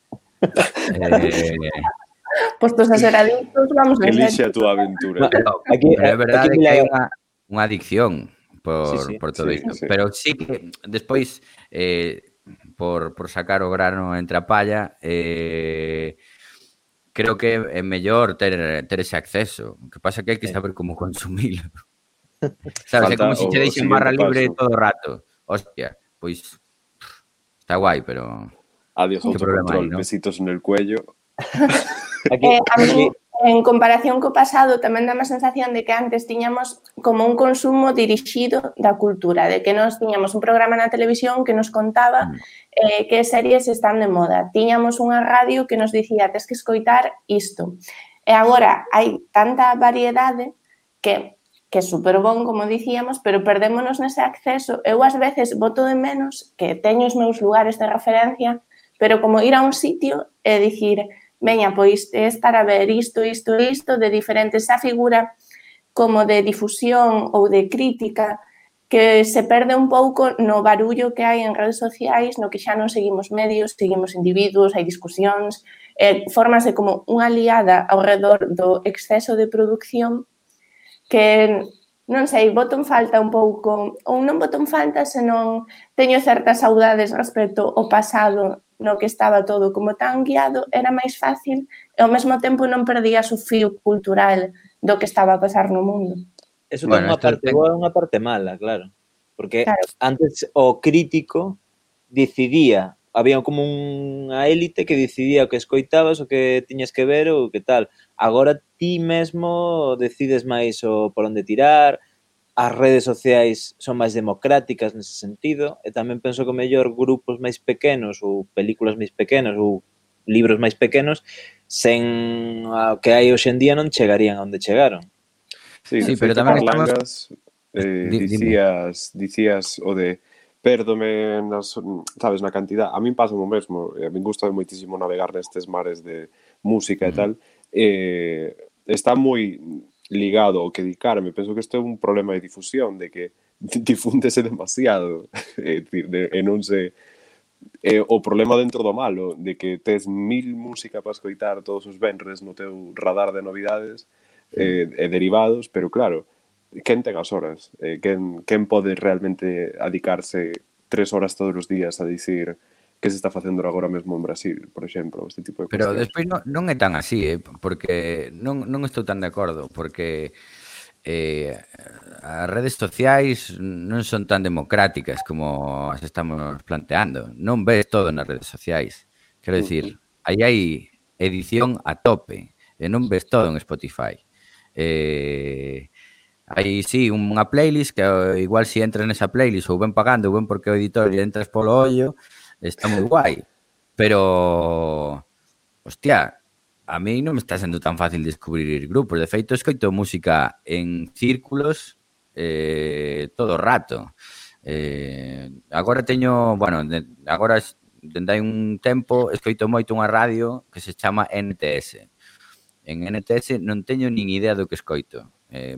D: Postos a ser adictos, vamos a ver.
C: Elixe a túa aventura.
E: Pero é verdade que hai unha adicción por todo isto.
C: Sí.
E: Pero sí que despois, por sacar o grano entre a palla, creo que é mellor ter ese acceso. O que pasa que hai que saber como consumilo. Sabes, é como se che deixen barra libre todo o rato. Hostia, pois está guai, pero...
C: Adiós, autocontrol, besitos en el cuello.
D: A mí, en comparación co pasado, tamén dá a sensación de que antes tiñamos como un consumo dirixido da cultura, de que nós tiñamos un programa na televisión que nos contaba que series están de moda. Tiñamos unha radio que nos dicía, tes que escoitar isto. E agora hai tanta variedade que é super bon, como dicíamos, pero perdémonos nese acceso. Eu, ás veces, boto de menos que teño os meus lugares de referencia, pero como ir a un sitio e dicir... veña, pois, estar a ver isto, de diferentes, esa figura como de difusión ou de crítica que se perde un pouco no barullo que hai en redes sociais, no que xa non seguimos medios, seguimos individuos, hai discusións, fórmase como unha liada ao redor do exceso de produción que non sei, boto en falta un pouco, ou non boto en falta, senón teño certas saudades respecto ao pasado no que estaba todo como tan guiado, era máis fácil e ao mesmo tempo non perdías o fío cultural do que estaba a pasar no mundo.
A: Eso ten unha parte boa e unha parte mala, claro. Porque antes o crítico decidía, había como unha élite que decidía o que escoitabas, o que tiñas que ver ou que tal. Agora ti mesmo decides máis o por onde tirar, as redes sociais son máis democráticas nese sentido, e tamén penso que o mellor grupos máis pequenos ou películas máis pequenas ou libros máis pequenos sen o que hai hoxe en día non chegarían onde chegaron.
C: Sí, pero tamén Parlangas dicías o de pérdome sabes, na cantidad. A min pasa o mesmo, a min gusta moitísimo navegar nestes mares de música e tal. Está moi ligado ao que dedicarme. Penso que isto é un problema de difusión, de que difúndese demasiado. É dicir, e non se... o problema dentro do malo, de que tes 1000 música para escoitar todos os venres no teu radar de novidades e derivados, pero claro, quen ten as horas? Quen pode realmente adicarse 3 horas todos os días a dicir que se está facendo agora mesmo en Brasil, por exemplo, este tipo de
E: Pero
C: cuestións.
E: despois non é tan así, porque non estou tan de acordo, porque as redes sociais non son tan democráticas como as estamos planteando. Non ves todo nas redes sociais. Quero dicir, aí hai edición a tope, e non ves todo en Spotify. Hai, sí, unha playlist que igual se entras nesa playlist ou ben pagando ou ben porque o editor e entras polo ollo, está moi guai. Pero, hostia, a mí non me está sendo tan fácil descubrir grupos. De feito, escoito música en círculos todo o rato. Agora teño, bueno, agora dende hai un tempo escoito moito unha radio que se chama NTS. En NTS non teño nin idea do que escoito. É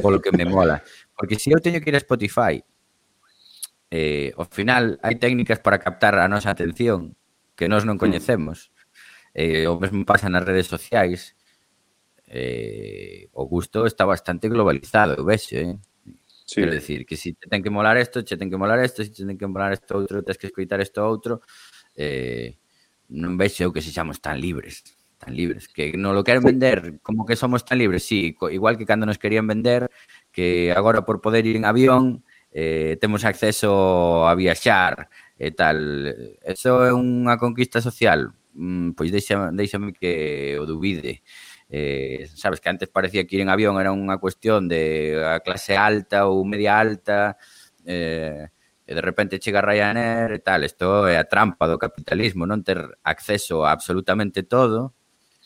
E: polo que me mola. Porque se eu teño que ir a Spotify, ao final hai técnicas para captar a nosa atención que nós non coñecemos. O mesmo pasa nas redes sociais. O gusto está bastante globalizado, vexo, Sí. Quero decir, que se te ten que molar isto, che ten que molar isto, se te ten que molar isto outro, tens que escoitar isto outro. Non vexo eu que sexamos tan libres, que non lo queren vender como que somos tan libres, sí, igual que cando nos querían vender que agora por poder ir en avión temos acceso a viaxar e tal. Eso é unha conquista social? Pois deixame que o dubide. Sabes que antes parecía que ir en avión era unha cuestión de a clase alta ou media alta, e de repente chega Ryanair e tal. Isto é a trampa do capitalismo, non ter acceso a absolutamente todo,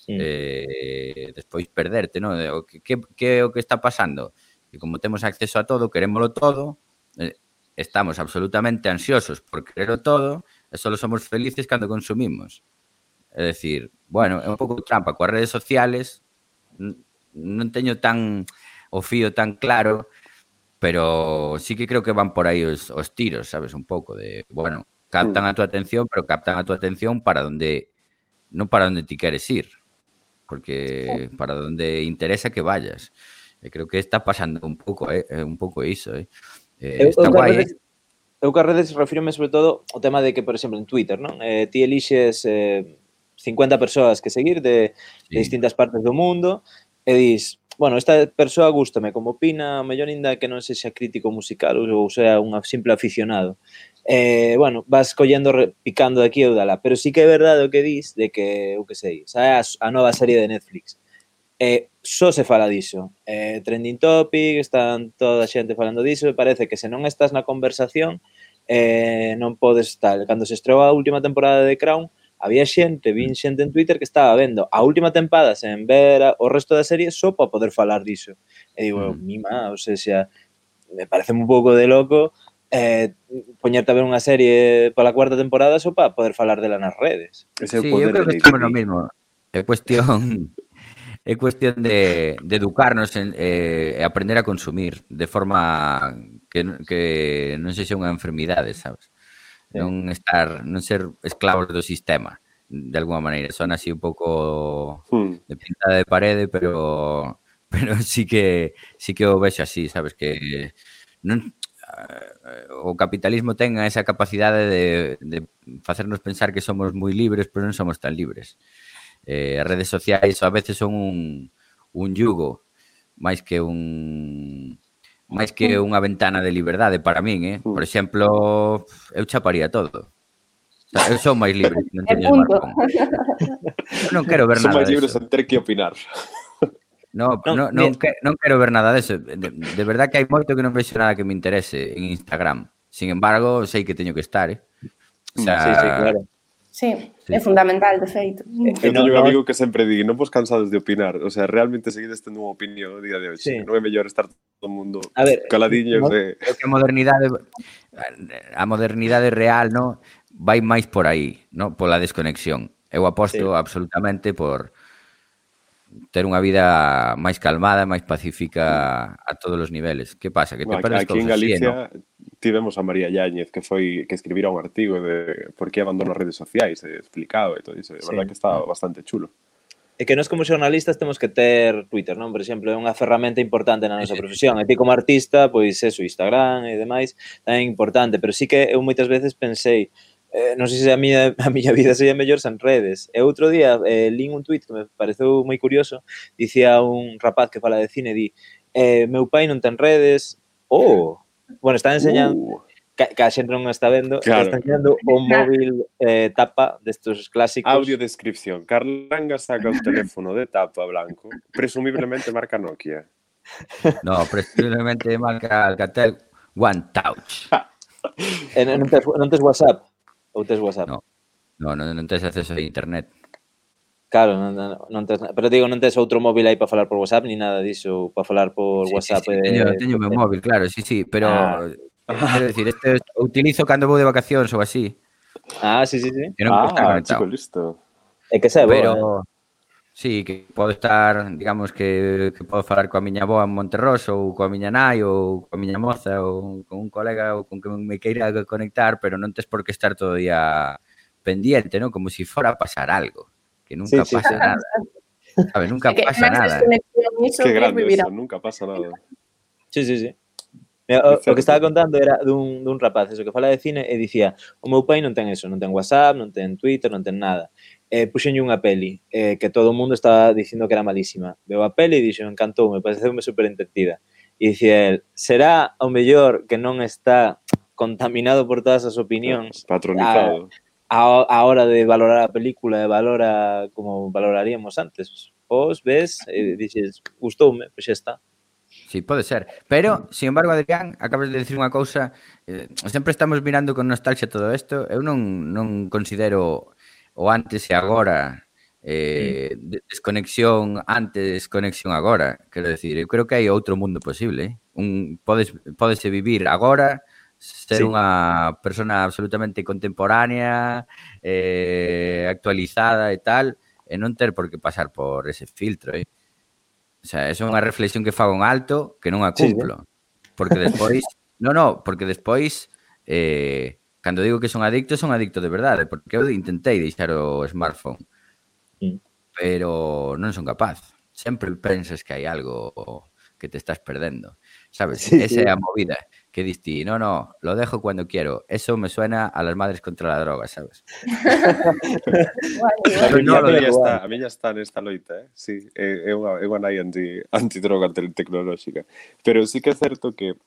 E: despois perderte, non? Que é o que está pasando? Que como temos acceso a todo, querémolo todo, estamos absolutamente ansiosos por quererlo todo e só somos felices cando consumimos. É dicir, bueno, é un pouco trampa coas redes sociales, non teño tan o fío tan claro, pero sí que creo que van por aí os tiros, sabes, un pouco de, bueno, captan a tua atención, pero captan a tua atención para onde, non para onde ti queres ir, porque para onde interesa que vayas. E creo que está pasando un pouco iso, está guai,
A: Eu que as redes refírome sobre todo ao tema de que, por exemplo, en Twitter, non? Ti elixes 50 persoas que seguir de distintas partes do mundo e dis, bueno, esta persoa gústame como opina, a mellor ainda que non sexa crítico musical ou sea un simple aficionado. Bueno, vas collendo, picando de aquí ou dala, pero sí que é verdade o que dis de que, eu que sei, sae a nova serie de Netflix. Só se fala diso. Trending topic, están toda a xente falando diso, e parece que se non estás na conversación non podes tal. Cando se estreou a última temporada de Crown, había xente en Twitter que estaba vendo a última tempada sen ver o resto da serie só para poder falar diso. E digo, mima, o sea, me parece un pouco de loco poñerte a ver unha serie pola cuarta temporada só para poder falar dela nas redes.
E: Sí, eu creo que estamos no mismo. É cuestión de educarnos e aprender a consumir de forma que non sexa unha enfermidade, sabes? Non ser esclavos do sistema, de alguma maneira. Son así un pouco de pintada de parede, pero pero sí que o vexo así, sabes, que non o capitalismo ten esa capacidade de facernos pensar que somos moi libres, pero non somos tan libres. As redes sociais a veces son un yugo máis que unha ventana de liberdade para min, Por exemplo, eu chaparía todo. O sea, eu son máis libre que non teño smartphone. Eu non quero ver
C: Son
E: nada
C: máis libres
E: deso.
C: en ter que opinar.
E: Non quero ver nada deso. De verdad que hai moito que non vexo nada que me interese en Instagram. Sin embargo, sei que teño que estar, O sea,
A: Sí, claro.
D: Sí, é fundamental, de feito.
C: Eu teño un amigo que sempre di, non vos cansades de opinar, o sea, realmente seguides tendo unha opinión no día de hoxe,
A: Sí.
C: non é mellor estar todo o mundo
A: A ver,
C: caladiños de...
E: creo que a modernidade real, no, vai máis por aí, no, pola desconexión. Eu aposto absolutamente por ter unha vida máis calmada, máis pacífica a todos os niveles. Que pasa? Que te perdes
C: Aquí en
E: cousas, sí,
C: Galicia tivemos a María Yáñez que escribira un artigo de por que abandono as redes sociais, explicado e todo iso, de verdad que está bastante chulo.
A: É que nós como xornalistas temos que ter Twitter, non? Por exemplo, é unha ferramenta importante na nosa profesión. E ti como artista, pois eso, Instagram e demais, tamén é importante. Pero sí que eu moitas veces pensei, non sei se a miña vida sería mellor sen redes. E outro día lín un tuit que me pareceu moi curioso, dicía un rapaz que fala de cine, di, meu pai non ten redes, bueno, está enseñando... Que a xente non está vendo,
C: Claro.
A: está enseñando o móvil tapa destos clásicos.
C: Audiodescripción. Carlanga saca o teléfono de tapa blanco, presumiblemente marca Nokia.
E: No, presumiblemente marca Alcatel One Touch.
A: Non tes WhatsApp? Ou tes WhatsApp?
E: Non tes acceso a internet.
A: Claro, non tes, pero digo, non tes outro móvil aí para falar por WhatsApp ni nada diso, para falar por WhatsApp.
E: Sí, teño meu móvil, claro, sí, pero quero dicir, este utilizo cando vou de vacacións ou así.
A: Sí.
E: Que non está conectado.
C: Chico, listo.
A: É que se
E: Pero sí, que podo estar, digamos que podo falar coa miña avoa en Monterroso ou coa miña nai ou coa miña moza ou con un colega ou con que me queira conectar, pero non tes por que estar todo o día pendiente, ¿no? Como si fora a pasar algo, que nunca pasa nada. ¿Sabes? Nunca pasa nada.
C: Qué grande eso, nunca pasa nada.
A: Sí. O que estaba contando era dun rapaz, eso, que fala de cine e dicía, o meu pai non ten eso, non ten WhatsApp, non ten Twitter, non ten nada. Puxenlle unha peli que todo o mundo estaba dicindo que era malísima. Veo a peli e dixo, encantoume, pareceume super entretida. E dicía el, será o mellor que non está contaminado por todas as opinións,
C: patronizado,
A: a hora de valorar a película e valora como valoraríamos antes. Vos ves e dixes, gustoume, pois xa está.
E: Sí, pode ser. Pero, sin embargo, Adrián, acabas de decir unha cousa, sempre estamos mirando con nostalgia todo isto. Eu non considero o antes e agora, desconexión antes, conexión agora. Quero decir, eu creo que hai outro mundo posible. Pódese vivir agora, ser unha persona absolutamente contemporánea, actualizada e tal, e non ter por que pasar por ese filtro, O sea, é unha reflexión que fago en alto que non a cumplo. Porque despois... porque despois, cando digo que son adicto de verdade, porque eu intentei deixar o smartphone, pero non son capaz. Sempre pensas que hai algo que te estás perdendo, sabes? Esa é a movida que diste, no, lo dejo cuando quiero. Eso me suena a las madres contra la droga, sabes?
C: A miña está nesta loita, sí, é unha nai antidroga tecnolóxica. Pero sí que é certo que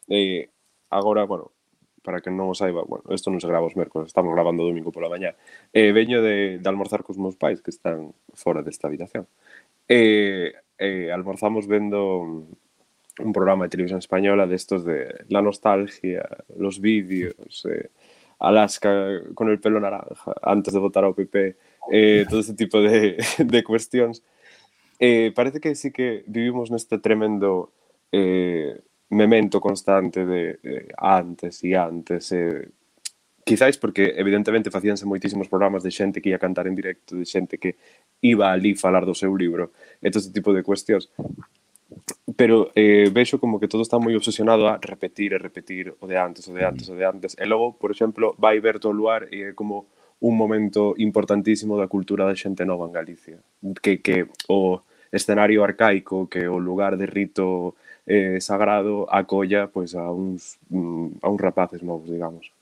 C: agora, bueno, para que non o saiba, bueno, isto non se grava os mércores, estamos gravando o domingo pola mañá, veño de almorzar cos meus pais que están fora desta habitación. Almorzamos vendo un programa de televisión española de estos de la nostalgia, los vídeos, Alaska con el pelo naranja antes de votar ao PP, todo ese tipo de cuestións. Parece que sí que vivimos neste tremendo memento constante de antes e antes. Quizáis porque evidentemente facíanse moitísimos programas de xente que ia cantar en directo, de xente que iba ali falar do seu libro, e todo ese tipo de cuestións. Pero vexo como que todo está moi obsesionado a repetir o de antes. E logo, por exemplo, vai Berto Luar e é como un momento importantísimo da cultura da xente nova en Galicia. Que o escenario arcaico que o lugar de rito sagrado acolla pois a uns rapaces novos, digamos.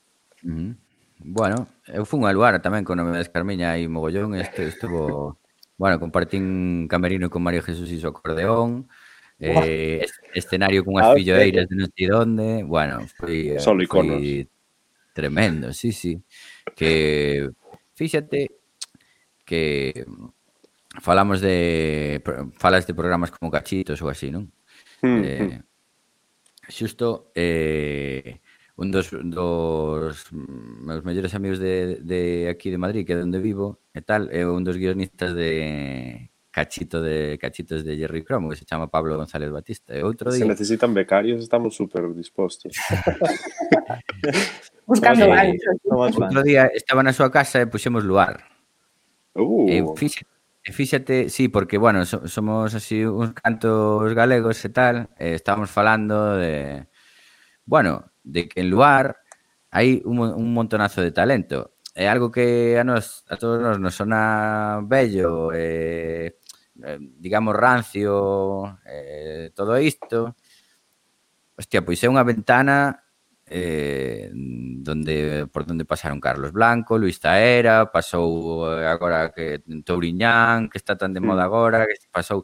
E: Bueno, eu fun a Luar tamén con Novedades Carmiña e mogollón, estuvo... Bueno, compartín camerino con María Jesús e o acordeón, escenario cunhas filloeiras de non sei onde, bueno, foi tremendo, sí. Que, fíxate que falas de programas como Cachitos ou así, non? Xusto, un dos meus mellores amigos de aquí de Madrid, que é onde vivo e tal, é un dos guionistas de Cachitos de Jerry Cromo, que se chama Pablo González Batista. E outro día...
C: Se necesitan becarios, estamos super dispostos.
D: Buscando ganchos.
E: Outro día estaba na súa casa e puxemos Luar. Fíxate, sí, porque, bueno, somos así uns cantos galegos e tal, estábamos falando de... Bueno, de que en Luar hai un montonazo de talento. É algo que a todos nos sona bello, digamos rancio, todo isto. Hostia, pois é unha ventana por donde pasaron Carlos Blanco, Luis Taera, pasou agora que Touriñán, que está tan de moda agora, que pasou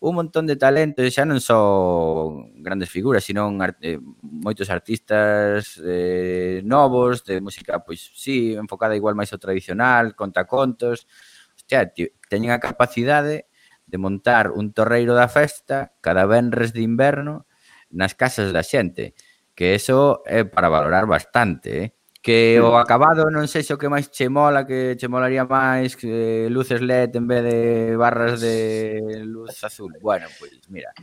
E: un montón de talento, xa non só grandes figuras, sino moitos artistas novos, de música, pois sí, enfocada igual máis ao tradicional, contacontos. Hostia, teñen a capacidade de montar un torreiro da festa cada venres de inverno nas casas da xente, que eso é para valorar bastante, que o acabado non sei se o que máis che mola, que che molaría máis que luces LED en vez de barras de luz azul. Bueno, pois mira,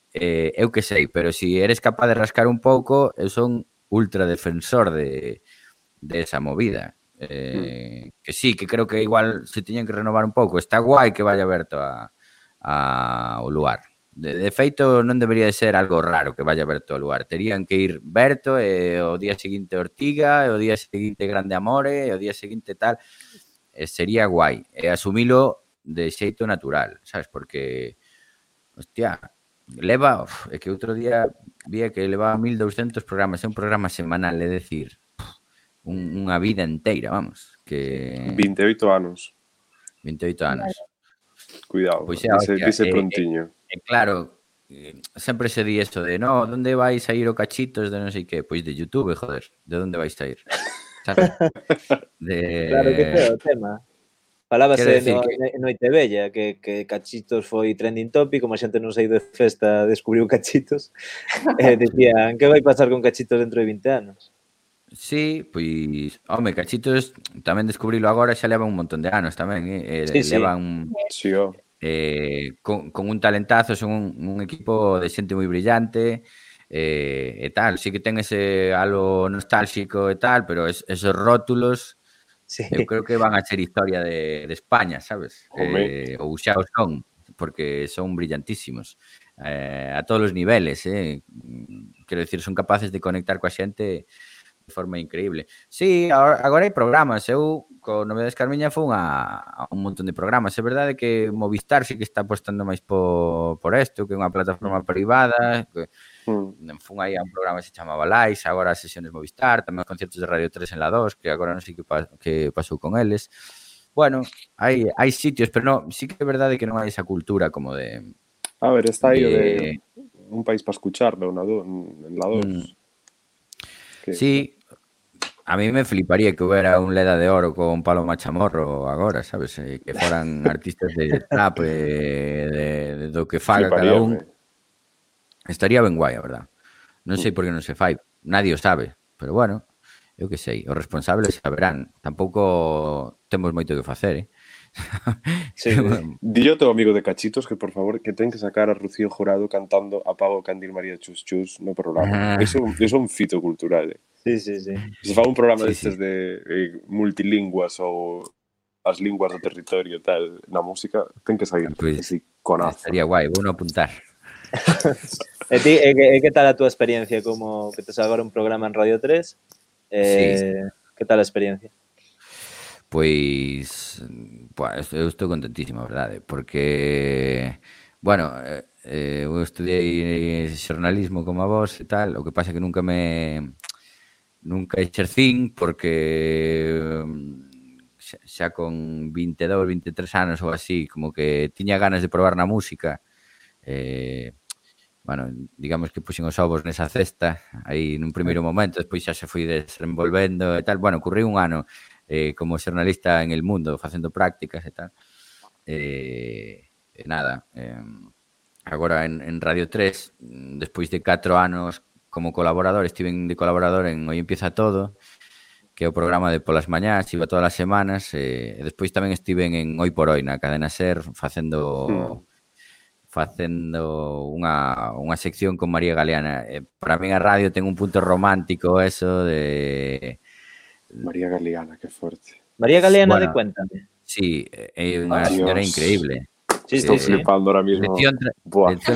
E: eu que sei, pero se eres capaz de rascar un pouco, eu son ultra defensor de esa movida. Que sí, que creo que igual se tiñen que renovar un pouco. Está guai que vaya aberto ao Luar. De feito, non debería de ser algo raro que vaya Berto ao Luar. Terían que ir Berto e o día seguinte Ortiga, e o día seguinte Grande Amore, e o día seguinte tal. Sería guai. E asumilo de xeito natural, sabes? Porque, hostia, leva... É que outro día vía que leva 1200 programas. É un programa semanal, é decir, unha vida inteira, vamos. Que
C: 28 anos.
E: 28 anos.
C: Cuidado,
E: Pois
C: dice prontiño.
E: Claro, sempre se di eso de no, onde vais a ir o Cachitos de non sei que? Pois de YouTube, joder, de onde vais a ir? Sabes?
A: Claro que é o tema. Falábase no Itebella que Cachitos foi trending topic, como a xente non saiu de festa descubriu Cachitos, decían, que vai pasar con Cachitos dentro de 20 anos?
E: Sí, pois, home, Cachitos tamén descubrilo agora, xa leva un montón de anos tamén, levan...
C: Sí,
E: con un talentazo, son un equipo de xente moi brillante e tal, sí que ten ese algo nostálxico e tal, pero esos rótulos eu creo que van a ser historia de España, sabes? Ou xa o son, porque son brillantísimos a todos os niveles, quero dicir, son capaces de conectar coa xente de forma increíble. Sí, agora hai programas. Eu, con Novedades Carmiña, fun a un montón de programas. É verdade que Movistar sí que está apostando máis por isto, que é unha plataforma privada. Fun aí a un programa que se chamaba Lais, agora as sesiones Movistar, tamén os concertos de Radio 3 en la 2, que agora non sei que pasou con eles. Bueno, hai sitios, pero sí que é verdade que non hai esa cultura como de...
C: A ver, está aí de un país para escucharlo en la 2.
E: Sí, a mí me fliparía que hubiera un Leda de Oro con Paloma Chamorro agora, sabes? Que foran artistas de trap, de do que faga cada un. Estaría ben guai, a verdad. Non sei por que non se fai, nadie o sabe, pero bueno, eu que sei, os responsables saberán. Tampouco temos moito que facer,
C: Sí, dillo teu amigo de Cachitos que, por favor, que ten que sacar a Rocío Jurado cantando Apago Candil María Chus Chus no programa. Eso é un fito cultural,
A: Sí.
C: Se fa un programa destes de multilingüas ou as linguas do territorio tal, na música, ten que sair así con azo.
E: Estaría guai, vou non apuntar.
A: E ti, que tal a túa experiencia como que tes agora un programa en Radio 3? Que tal a experiencia?
E: Pois eu estou contentísimo, a verdade, porque Bueno, eu estudiei xornalismo como a vos e tal, o que pasa é que nunca exercín porque xa con 22, 23 anos ou así, como que tiña ganas de probar na música. Bueno, digamos que puxen os ovos nesa cesta aí nun primeiro momento, despois xa se foi desenvolvendo e tal. Bueno, currí un ano como xornalista en El Mundo, facendo prácticas e tal. Nada, agora en Radio 3, despois de 4 anos como colaborador, estiven de colaborador en Hoy Empieza Todo, que é o programa de polas mañás, iba todas as semanas, e despois tamén estiven en Hoy por Hoy, na cadena SER, facendo unha sección con María Galeana. Para min a radio ten un punto romántico eso de...
C: María Galeana, que forte.
A: María Galeana
E: Bueno,
A: de Cuéntame.
E: Sí, é unha señora increíble.
A: Sí,
C: Estou flipando ahora mismo.
E: Lección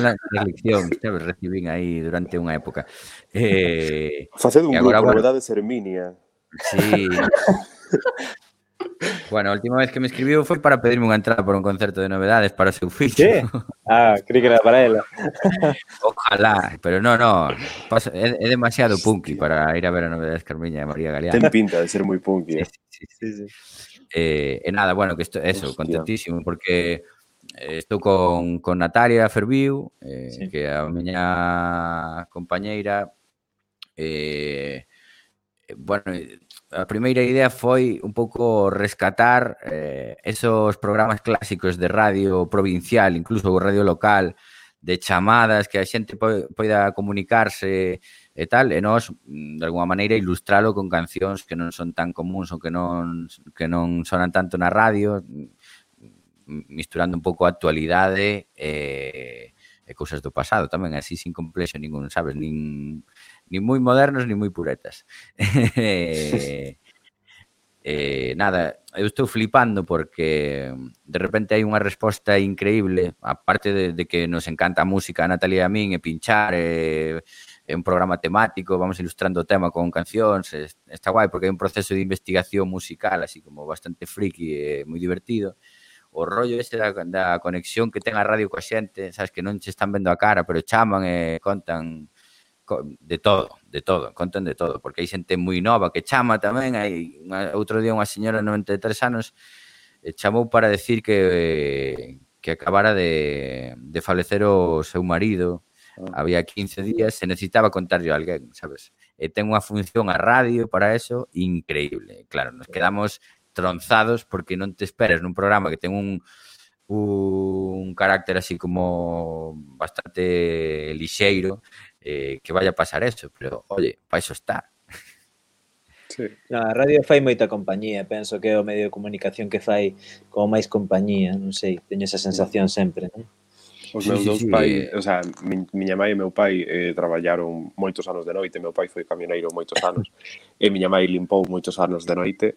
E: na lección, sabes, recibín aí durante unha época.
C: Faced un
E: agora,
C: grupo,
E: bueno,
C: Novedades Herminia.
E: Sí. Bueno, a última vez que me escribiu foi para pedirme unha entrada por un concerto de Novedades para o seu fillo.
A: Sí? Ah, creí que era para ela.
E: Ojalá, pero no, é demasiado punky para ir a ver a Novedades Carmiña de María Galeana.
C: Ten pinta de ser moi punky.
E: Sí. E nada, bueno, que eso, contentísimo, porque estou con Natalia Ferviu, que é a miña compañeira. Bueno, a primeira idea foi un pouco rescatar esos programas clásicos de radio provincial, incluso radio local, de chamadas que a xente poida comunicarse e tal, e nós, de alguma maneira, ilustralo con cancións que non son tan comuns ou que non sonan tanto na radio, misturando un pouco a actualidade e cousas do pasado tamén, así sin complexo ningún, sabes, nin moi modernos, nin moi puretas. Nada, eu estou flipando porque de repente hai unha resposta increíble, aparte de que nos encanta a música a Natalia e a min, e pinchar, é un programa temático, vamos ilustrando o tema con cancións, está guai porque hai un proceso de investigación musical así como bastante friki e moi divertido. O rollo ese da conexión que ten a radio coa xente, sabes, que non se están vendo a cara, pero chaman e contan de todo, contan de todo, porque hai xente moi nova que chama tamén. Outro día unha señora de 93 anos chamou para decir que acabara de falecer o seu marido, había 15 días, se necesitaba contarlle a alguén, sabes? E ten unha función a radio para eso increíble. Claro, nos quedamos tronzados porque non te esperas nun programa que ten un carácter así como bastante lixeiro, que vaya a pasar eso, pero, oye, para eso está.
A: Sí. No, a radio fai moita compañía, penso que é o medio de comunicación que fai como máis compañía, non sei, teño esa sensación sempre, non?
C: Os meus dous pais, o sea, miña mãe e meu pai traballaron moitos anos de noite, meu pai foi camioneiro moitos anos, e miña mãe limpou moitos anos de noite,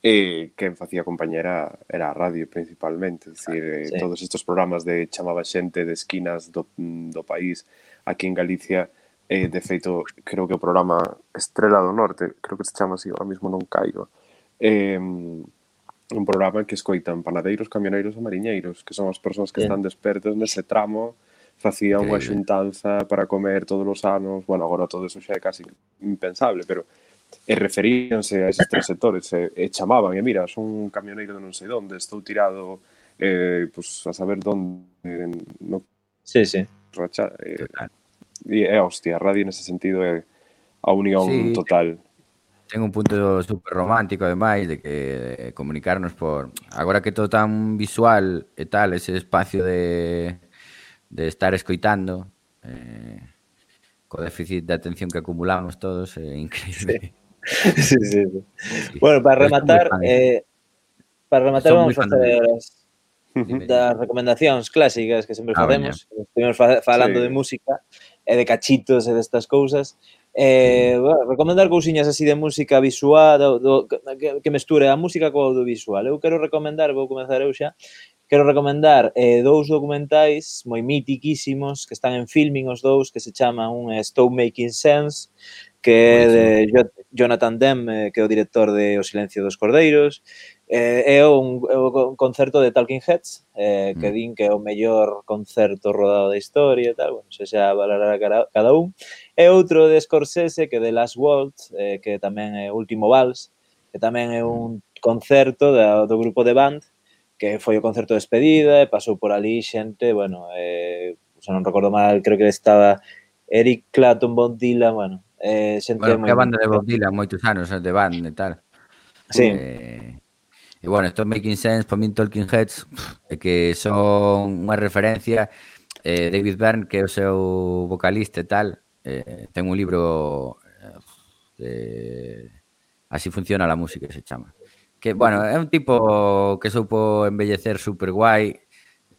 C: e quen facía compañía era a radio principalmente, decir, todos estes programas de chamaba xente de esquinas do país, aquí en Galicia, de feito, creo que o programa Estrela do Norte, creo que se chama así, ahora mismo non caigo, un programa que escoitan panadeiros, camioneiros e mariñeiros, que son as persoas que están despertas nese tramo, facía unha xuntanza para comer todos os anos, bueno, agora todo eso xa é casi impensable, pero referíanse a eses tres sectores, e chamaban, e mira, son un camioneiro de non sei onde, estou tirado, pues, a saber onde, no...
A: Sí.
C: E hostia, a radio nese sentido é a unión total.
E: Ten un punto super romántico, ademais, de que comunicarnos por... Agora que todo tan visual e tal, ese espacio de estar escoitando, co déficit de atención que acumulamos todos, é increíble.
A: Sí. Bueno, para rematar vamos a facer das recomendacións clásicas que sempre facemos. Estuvimos falando de música e de cachitos e destas cousas. Bueno, recomendar cousiñas así de música visual que mesture a música co audiovisual. Eu quero recomendar, vou comenzar eu xa, dous documentais moi mitiquísimos que están en Filmin os dous, que se chaman un Stop Making Sense, que é de Jonathan Demme, que é o director de O Silencio dos Cordeiros, É un concerto de Talking Heads, que din que é o mellor concerto rodado da historia e tal, bueno, se xa valorará cada un. E outro de Scorsese, que é The Last Waltz, que tamén é Último Vals, que tamén é un concerto do grupo de Band, que foi o concerto de despedida, e pasou por ali xente, bueno, se non recordo mal, creo que estaba Eric Clapton, Bob Dylan, bueno, xente
E: Bueno,
A: moi...
E: que a banda de Bob Dylan, moitos anos de band e tal.
A: Sí.
E: E bueno, estos Making Sense, para min Talking Heads, é que son unha referencia. David Byrne, que é o seu vocalista e tal, ten un libro Así funciona la música, se chama. Que, bueno, é un tipo que soupo embellecer super guai,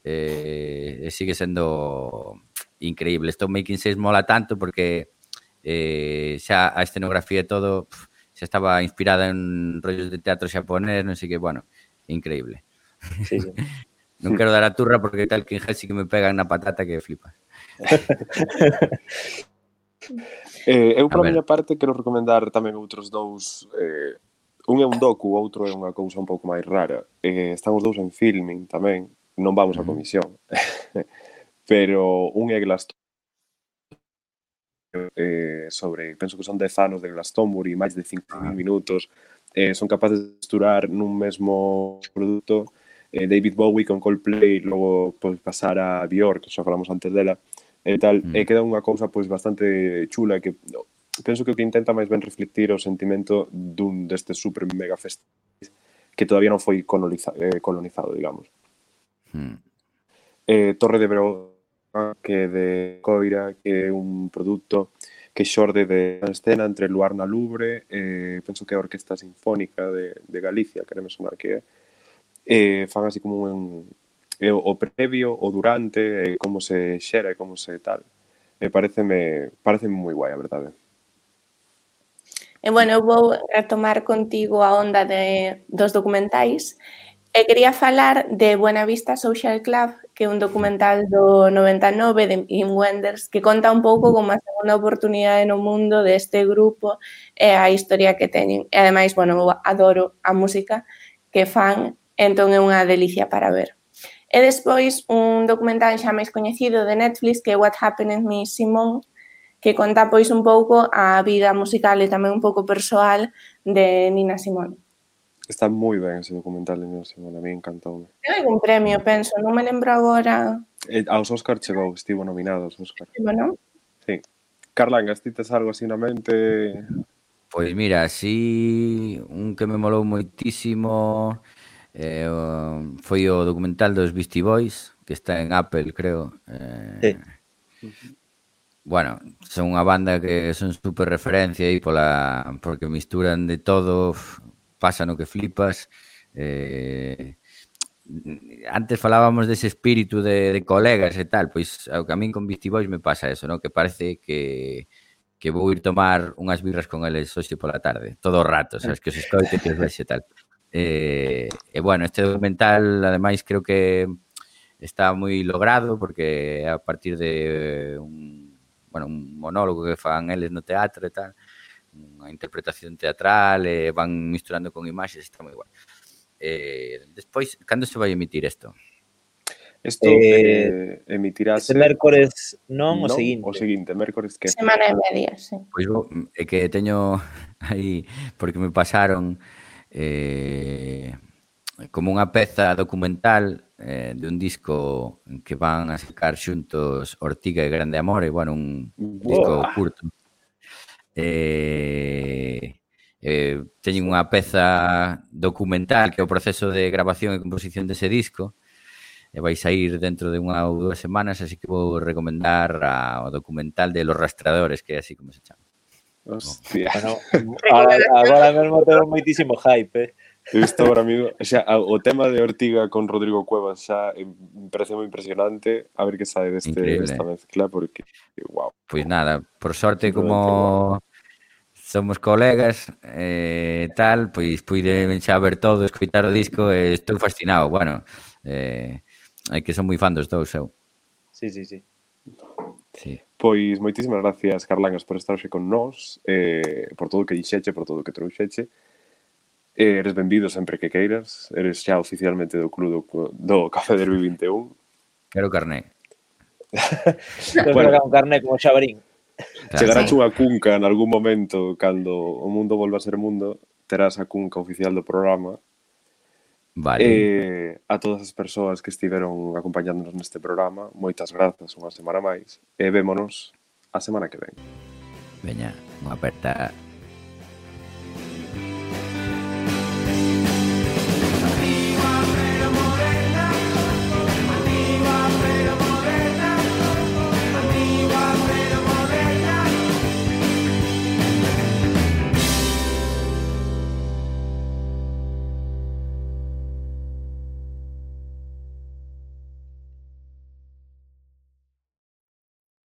E: e sigue sendo increíble. Esto Making Sense mola tanto porque xa a escenografía e todo xa estaba inspirada en rollos de teatro xaponés, non sei que, bueno, increíble.
A: Sí, sí.
E: Non quero dar a turra porque tal que en Helsi que me pegan na patata que flipas.
C: Eu, pola miña parte, quero recomendar tamén outros dous. Un é un docu, o outro é unha cousa un pouco máis rara. Están os dous en filming tamén. Non vamos a comisión. Pero un é sobre, penso que son 10 anos de Glastonbury, máis de 5.000 minutos, son capaces de esturar nun mesmo produto David Bowie con Coldplay, logo pois, pasar a Björk, que xa falamos antes dela, e tal, e queda unha cousa pois bastante chula que penso que o que intenta máis ben reflectir o sentimento dun destes super mega festivais que todavía non foi colonizado, digamos. Torre de Verona, que é de Coira, que é un produto que xorde de escena entre Luar na Louvre, penso que é a Orquesta Sinfónica de Galicia, quereme sonar que é, fan así como o previo, o durante, como se xera e como se tal. Pareceme moi guai, a verdade.
D: E, bueno, eu vou retomar contigo a onda dos documentais. E quería falar de Buena Vista Social Club, que é un documental do 99 de Wim Wenders, que conta un pouco como a segunda oportunidade no mundo deste grupo e a historia que teñen. E, ademais, bueno, eu adoro a música que fan, entón é unha delicia para ver. E despois, un documental xa máis coñecido de Netflix, que é What Happened to Miss Simone, que conta pois un pouco a vida musical e tamén un pouco persoal de Nina Simone.
C: Está moi ben ese documental de Nina Simone, a mí encantoume.
D: Ten algún premio, penso, non me lembro agora.
C: Aos Óscar chegou, estivo nominado aos Óscar.
D: Bueno.
C: Sí. Carlangas, ti tes algo así na mente?
E: Pois mira, así un que me molou moitísimo foi o documental dos Beastie Boys, que está en Apple, creo.
A: Sí.
E: Bueno, son unha banda que son super referencia aí porque misturan de todo, pasa no que flipas. Antes falábamos dese espírito de colegas e tal, pois ao que a min con Beastie Boys me pasa eso, ¿no? Que parece que vou ir tomar unhas birras con eles hoxe pola tarde, todo o rato, sabes, que os escoite, que os vexe e tal. E bueno, este documental, ademais, creo que está moi logrado porque a partir de un monólogo que fan eles no teatro e tal, unha interpretación teatral, e van misturando con imaxes, está moi guai. Despois, cando se vai emitir isto?
C: Isto emitirase...
A: Este mércores non, o seguinte.
C: O seguinte, mércores que...
D: Semana e media, sí.
E: Pois é que teño aí, porque me pasaron como unha peza documental de un disco que van a sacar xuntos Ortiga e Grande Amore, bueno, un disco curto. Teñen unha peza documental que é o proceso de grabación e composición dese disco, e vai sair dentro de unha ou 2 semanas, así que vou recomendar o documental de Los Rastreadores, que é así como se chama.
C: Hostia.
A: Bueno, agora mesmo tengo moitísimo hype,
C: Isto agora amigo, xa, o tema de Ortiga con Rodrigo Cuevas xa me parece moi impresionante, a ver que sae desta mezcla, porque, wow.
E: Pois nada, por sorte, como somos colegas tal, pois puiden xa ver todo, escoitar o disco, e estou fascinado, bueno, hai que son moi fan dos dous, eu.
A: Sí.
C: Pois moitísimas gracias, Carlangas, por estar hoxe con nós, por todo o que dixeche, por todo o que trouxeche. Eres benvido sempre que queiras. Eres xa oficialmente do club do Café Derby 21.
E: Quero carné.
C: Bueno.
F: Un carné como Xabarín.
C: Chegarás unha cunca en algún momento cando o mundo volva a ser mundo, terás a cunca oficial do programa.
E: Vale.
C: A todas as persoas que estiveron acompañándonos neste programa, moitas grazas unha semana máis e vémonos a semana que ven.
E: Veña, unha aperta.